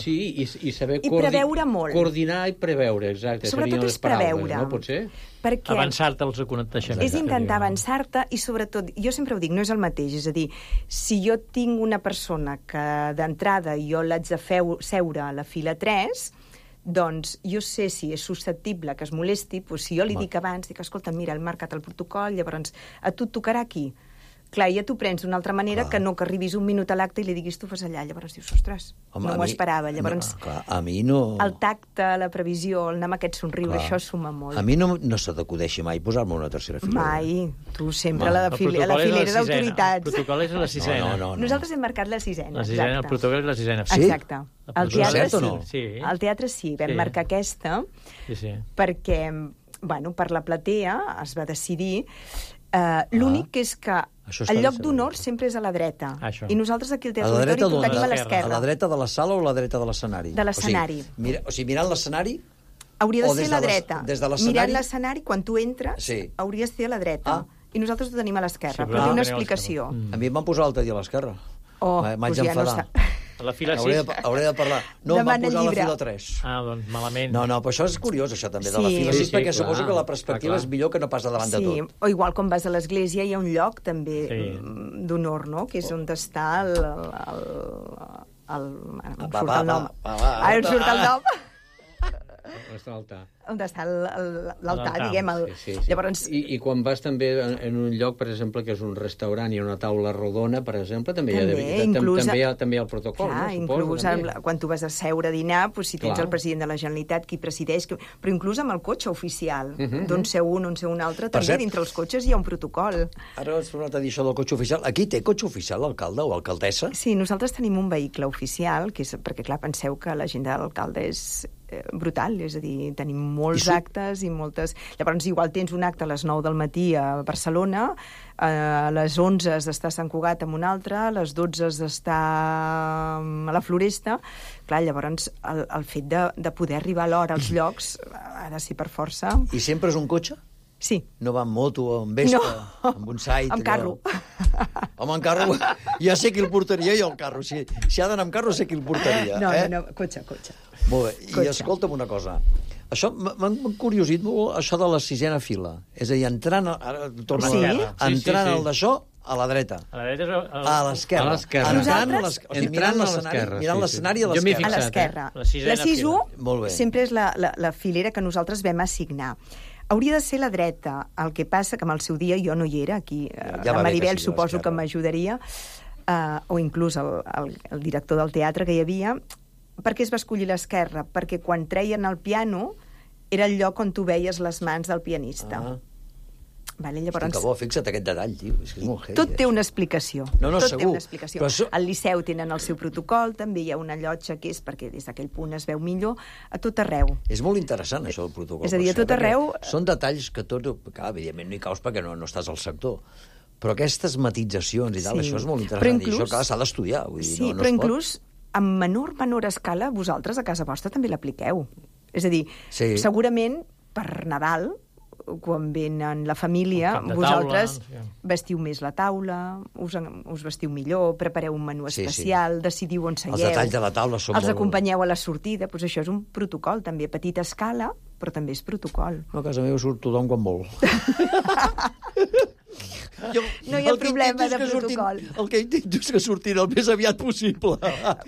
I saber preveure molt. Coordinar i preveure, exacte. Sobretot és preveure. No pot ser? Avançar-te als aconteixements. És intentar avançar-te i, sobretot, jo sempre ho dic, no és el mateix. És a dir, si jo tinc una persona que d'entrada jo l'haig de seure a la fila 3... doncs jo sé si és susceptible que es molesti, doncs si jo li dic abans, dic, escolta, mira, hem marcat el protocol, llavors a tu et tocarà aquí. Clar, ja t'ho prens d'una altra manera que no que arribis un minut a l'acte i li diguis tu fas allà, llavors dius, ostres, no m'ho esperava. Llavors, a mi no... El tacte, la previsió, el anar amb aquest somriure, això suma molt. A mi no se t'acudeixi mai posar-me una tercera filera. Mai. Tu sempre a la filera d'autoritats. El protocol és la sisena. No. Nosaltres hem marcat la sisena. La sisena, el protocol és la sisena. Sí? Exacte. Al teatre sí. No? Sí. Al teatre sí, vam marcar aquesta perquè, bueno, per la platea es va decidir. L'únic és que el lloc d'honor sempre és a la dreta. I nosaltres aquí al Teatre Auditori ho tenim a l'esquerra. A la dreta de la sala o a la dreta de l'escenari? De l'escenari. O sigui, mirant l'escenari... Hauria de ser a la dreta. Des de l'escenari... Mirant l'escenari, quan tu entres, hauria de ser a la dreta. I nosaltres ho tenim a l'esquerra. Però té una explicació. A mi em van posar l'altre dia a l'esquerra. M'haig d'enfadar. A la fila 6? Hauré de parlar. No, em van posar a la fila 3. Doncs malament. No, però això és curiós, això també, de la fila 6, perquè suposo que la perspectiva és millor que no pas davant de tot. Sí, o igual quan vas a l'església hi ha un lloc també d'honor, no?, que és on està el... Em surt el nom. Ara em surt el nom. On està l'altar? On està l'altar, diguem. Llavors... I quan vas també en un lloc, per exemple, que és un restaurant i una taula rodona, per exemple, també hi ha el protocol, no? Inclús quan tu vas a seure a dinar, si tens el president de la Generalitat, qui presideix, però inclús amb el cotxe oficial, d'on seu un, on seu un altre, també dintre els cotxes hi ha un protocol. Ara has tornat a dir això del cotxe oficial. Aquí té cotxe oficial l'alcalde o alcaldessa? Sí, nosaltres tenim un vehicle oficial, perquè, clar, penseu que l'agenda de l'alcalde és brutal, és a dir, tenim molts actes i moltes... Llavors, igual tens un acte a les 9 del matí a Barcelona, a les 11 has d'estar a Sant Cugat amb un altre, a les 12 has d'estar a la Floresta. Clar, llavors, el fet de poder arribar a l'hora als llocs ha de ser per força. I sempre és un cotxe? Sí. No va amb moto, amb Vespa, amb un site... Amb carro. Home, amb carro, ja sé qui el portaria jo, el carro. Si ha d'anar amb carro, sé qui el portaria. No, cotxe. Molt bé, i escolta'm una cosa. Això m'ha curiosit molt, això de la sisena fila. És a dir, entrant al d'això, a la dreta. A la dreta a l'esquerra. Mirant l'escenari a l'esquerra. A l'esquerra. La 6-1 sempre és la filera que nosaltres vam assignar. Hauria de ser la dreta. El que passa que amb el seu dia jo no hi era, aquí la Maribel suposo que m'ajudaria, o inclús el director del teatre que hi havia. Per què es va escollir l'esquerra? Perquè quan treien el piano era el lloc on tu veies les mans del pianista. Llavors... Que bo, fixa't aquest detall, tio. És que és molt heavy. Tot té una explicació. Tot té una explicació. Al Liceu tenen el seu protocol, també hi ha una llotja que és perquè des d'aquell punt es veu millor, a tot arreu. És molt interessant, això, el protocol. És a dir, a tot arreu... Són detalls que tot... Clar, evidentment no hi caus perquè no estàs al sector. Però aquestes matitzacions i tal, això és molt interessant. I això, clar, s'ha d'estudiar. Sí, però inclús en menor escala, vosaltres a casa vostra també l'apliqueu. És a dir, segurament per Nadal, quan venen la família, vosaltres vestiu més la taula, us vestiu millor, prepareu un menú especial, decidiu on seieu. Els detalls de la taula són els acompanyeu a la sortida. Doncs això és un protocol, també, a petita escala, però també és protocol. A casa meva surt tothom quan vol. No hi ha problema de protocol. El que intento és que surtin el més aviat possible.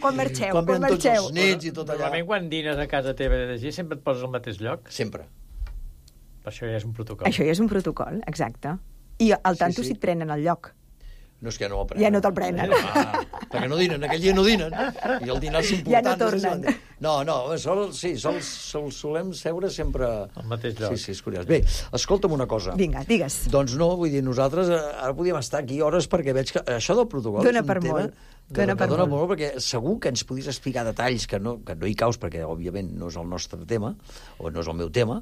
Quan marxeu. Quan venen tots els nets i tot allà. Normalment quan dines a casa teva de llegir sempre et poses al mateix lloc? Sempre. Això ja és un protocol. Això ja és un protocol, exacte. I al tanto si et prenen el lloc. No, és que no el prenen. Ja no te'l prenen. Perquè no dinen, aquell dia no dinen. I el dinar és important. Ja no tornen. No, solem seure sempre... Al mateix lloc. Sí, és curiós. Bé, escolta'm una cosa. Vinga, digues. Doncs no, vull dir, nosaltres ara podíem estar aquí hores perquè veig que això del protocol dona és un per tema... Dona per molt. Perquè segur que ens podies explicar detalls que no hi caus, perquè, òbviament, no és el nostre tema, o no és el meu tema,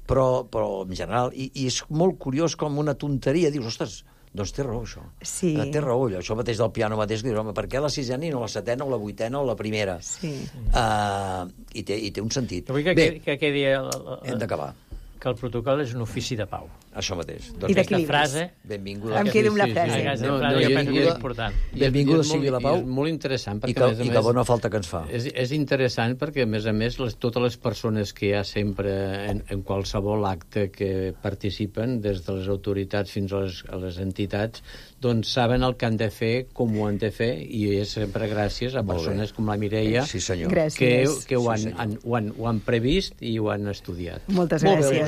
però en general, i és molt curiós com una tonteria, dius, ostres, doncs té raó, això. Sí. Té raó, això mateix del piano mateix, que dius, home, per què la sisena i no la setena, o la vuitena, o la primera? Sí. I té un sentit. Vull que quedi... Hem d'acabar. Que el protocol és un ofici de pau. Això mateix. I d'equilibris. Frase... Benvinguda. Em quedo amb la frase. Benvinguda sigui la pau. És molt interessant, perquè, a més a més... I que bona falta que ens fa. És interessant perquè, a més, totes les persones que hi ha sempre en qualsevol acte que participen, des de les autoritats fins a les entitats, doncs saben el que han de fer, com ho han de fer, i és sempre gràcies a persones com la Mireia, que ho han previst i ho han estudiat. Moltes gràcies. El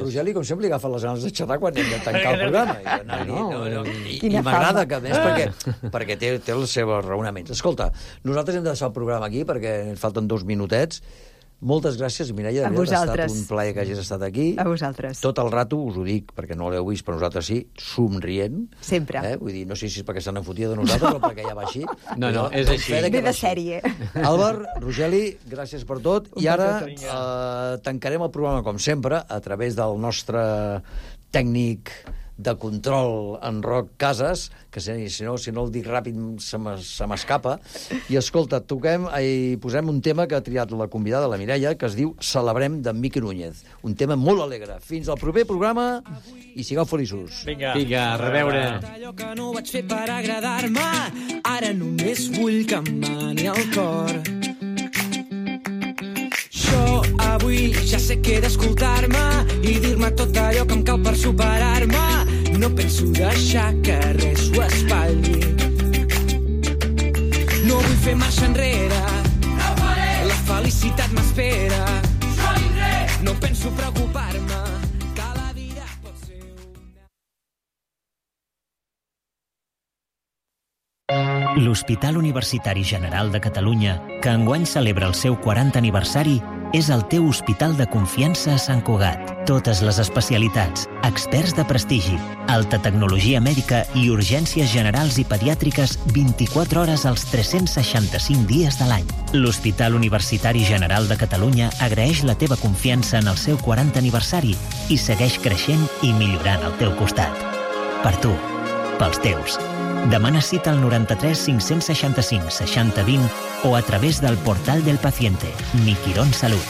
Rogeli, com sempre, li agafa les ganes de xerrar quan hem de tancar el programa. I m'agrada que, a més, perquè té els seus raonaments. Escolta, nosaltres hem de deixar el programa aquí perquè ens falten 2 minutets. Moltes gràcies, Mireia. Ha estat un plaer que hagis estat aquí. A vosaltres. Tot el rato, us ho dic, perquè no l'heu vist, però nosaltres sí, somrient. Sempre. Vull dir, no sé si és perquè s'han enfotia de nosaltres o perquè ja va així. No, és així. Ve de sèrie. Àlvar, Rogeli, gràcies per tot. I ara tancarem el programa, com sempre, a través del nostre tècnic de control en Roc Casas, que si no el dic ràpid se m'escapa. I escolta, posem un tema que ha triat la convidada, la Mireia, que es diu Celebrem, d'en Miqui Núñez. Un tema molt alegre. Fins al proper programa i sigueu feliços. Vinga, a reveure. Allò que no vaig fer per agradar-me, ara només vull que em mani el cor. Jo avui ja sé que he d'escoltar-me i dir-me tot allò que em cal per superar-me. No penso deixar que res ho espatlli. No vull fer marxa enrere. No faré. La felicitat m'espera. Jo vindré. No penso preocupar-me. Cada dia pot ser L'Hospital Universitari General de Catalunya, que enguany celebra el seu 40 aniversari, és el teu hospital de confiança a Sant Cugat. Totes les especialitats, experts de prestigi, alta tecnologia mèdica i urgències generals i pediàtriques 24 hores als 365 dies de l'any. L'Hospital Universitari General de Catalunya agraeix la teva confiança en el seu 40 aniversari i segueix creixent i millorant al teu costat. Per tu, pels teus. Demana cita al 93 565 60 20 o a través del portal del paciente, Mi Quirón Salud.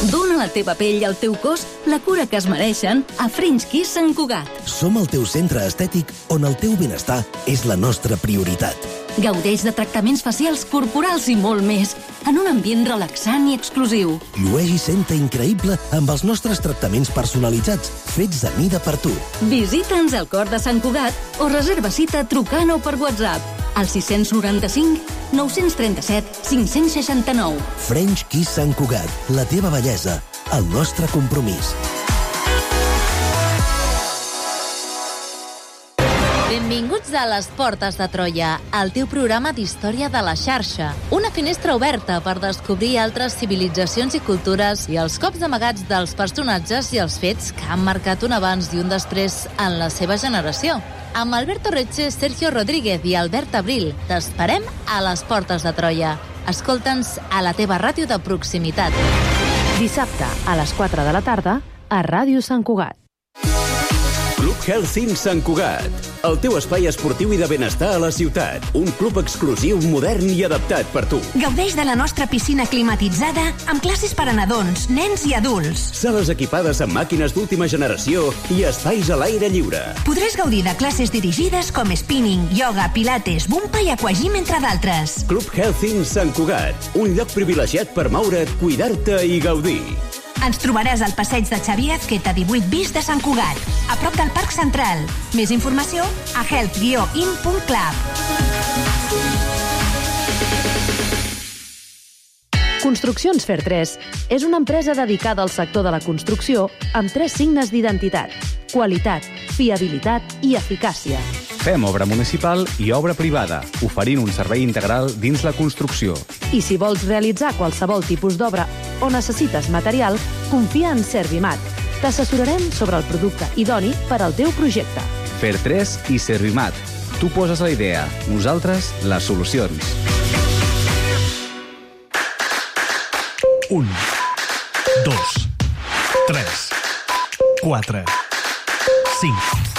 Dóna a la teva pell i al teu cos la cura que es mereixen a French Kiss Sant Cugat. Som el teu centre estètic on el teu benestar és la nostra prioritat. Gaudeix de tractaments facials, corporals i molt més, en un ambient relaxant i exclusiu. Llueix i senta increïble amb els nostres tractaments personalitzats, fets a mida per tu. Visita'ns al cor de Sant Cugat o reserva cita trucant o per WhatsApp al 695 937 569. French Kiss Sant Cugat, la teva bellesa, el nostre compromís. Benvinguts a Les Portes de Troia, el teu programa d'història de la xarxa. Una finestra oberta per descobrir altres civilitzacions i cultures i els cops amagats dels personatges i els fets que han marcat un abans i un després en la seva generació. Amb Alberto Reche, Sergio Rodríguez i Albert Abril, t'esperem a Les Portes de Troia. Escolta'ns a la teva ràdio de proximitat. Dissabte, a les 4 de la tarda, a Ràdio Sant Cugat. Club Healthing Sant Cugat, el teu espai esportiu i de benestar a la ciutat. Un club exclusiu, modern i adaptat per tu. Gaudeix de la nostra piscina climatitzada amb classes per a nadons, nens i adults. Sales equipades amb màquines d'última generació i espais a l'aire lliure. Podràs gaudir de classes dirigides com spinning, yoga, pilates, bumpa i aquagym, entre d'altres. Club Healthing Sant Cugat, un lloc privilegiat per moure't, cuidar-te i gaudir. Ens trobaràs al passeig de Xavier Azqueta 18 bis de Sant Cugat, a prop del Parc Central. Més informació a health-in.club. Construccions Fer 3 és una empresa dedicada al sector de la construcció amb 3 signes d'identitat: qualitat, fiabilitat i eficàcia. Fem obra municipal i obra privada, oferint un servei integral dins la construcció. I si vols realitzar qualsevol tipus d'obra o necessites material, confia en Servimat. T'assessorarem sobre el producte idoni per al teu projecte. Fer 3 i Servimat. Tu poses la idea, nosaltres les solucions. 1, 2, 3, 4, 5...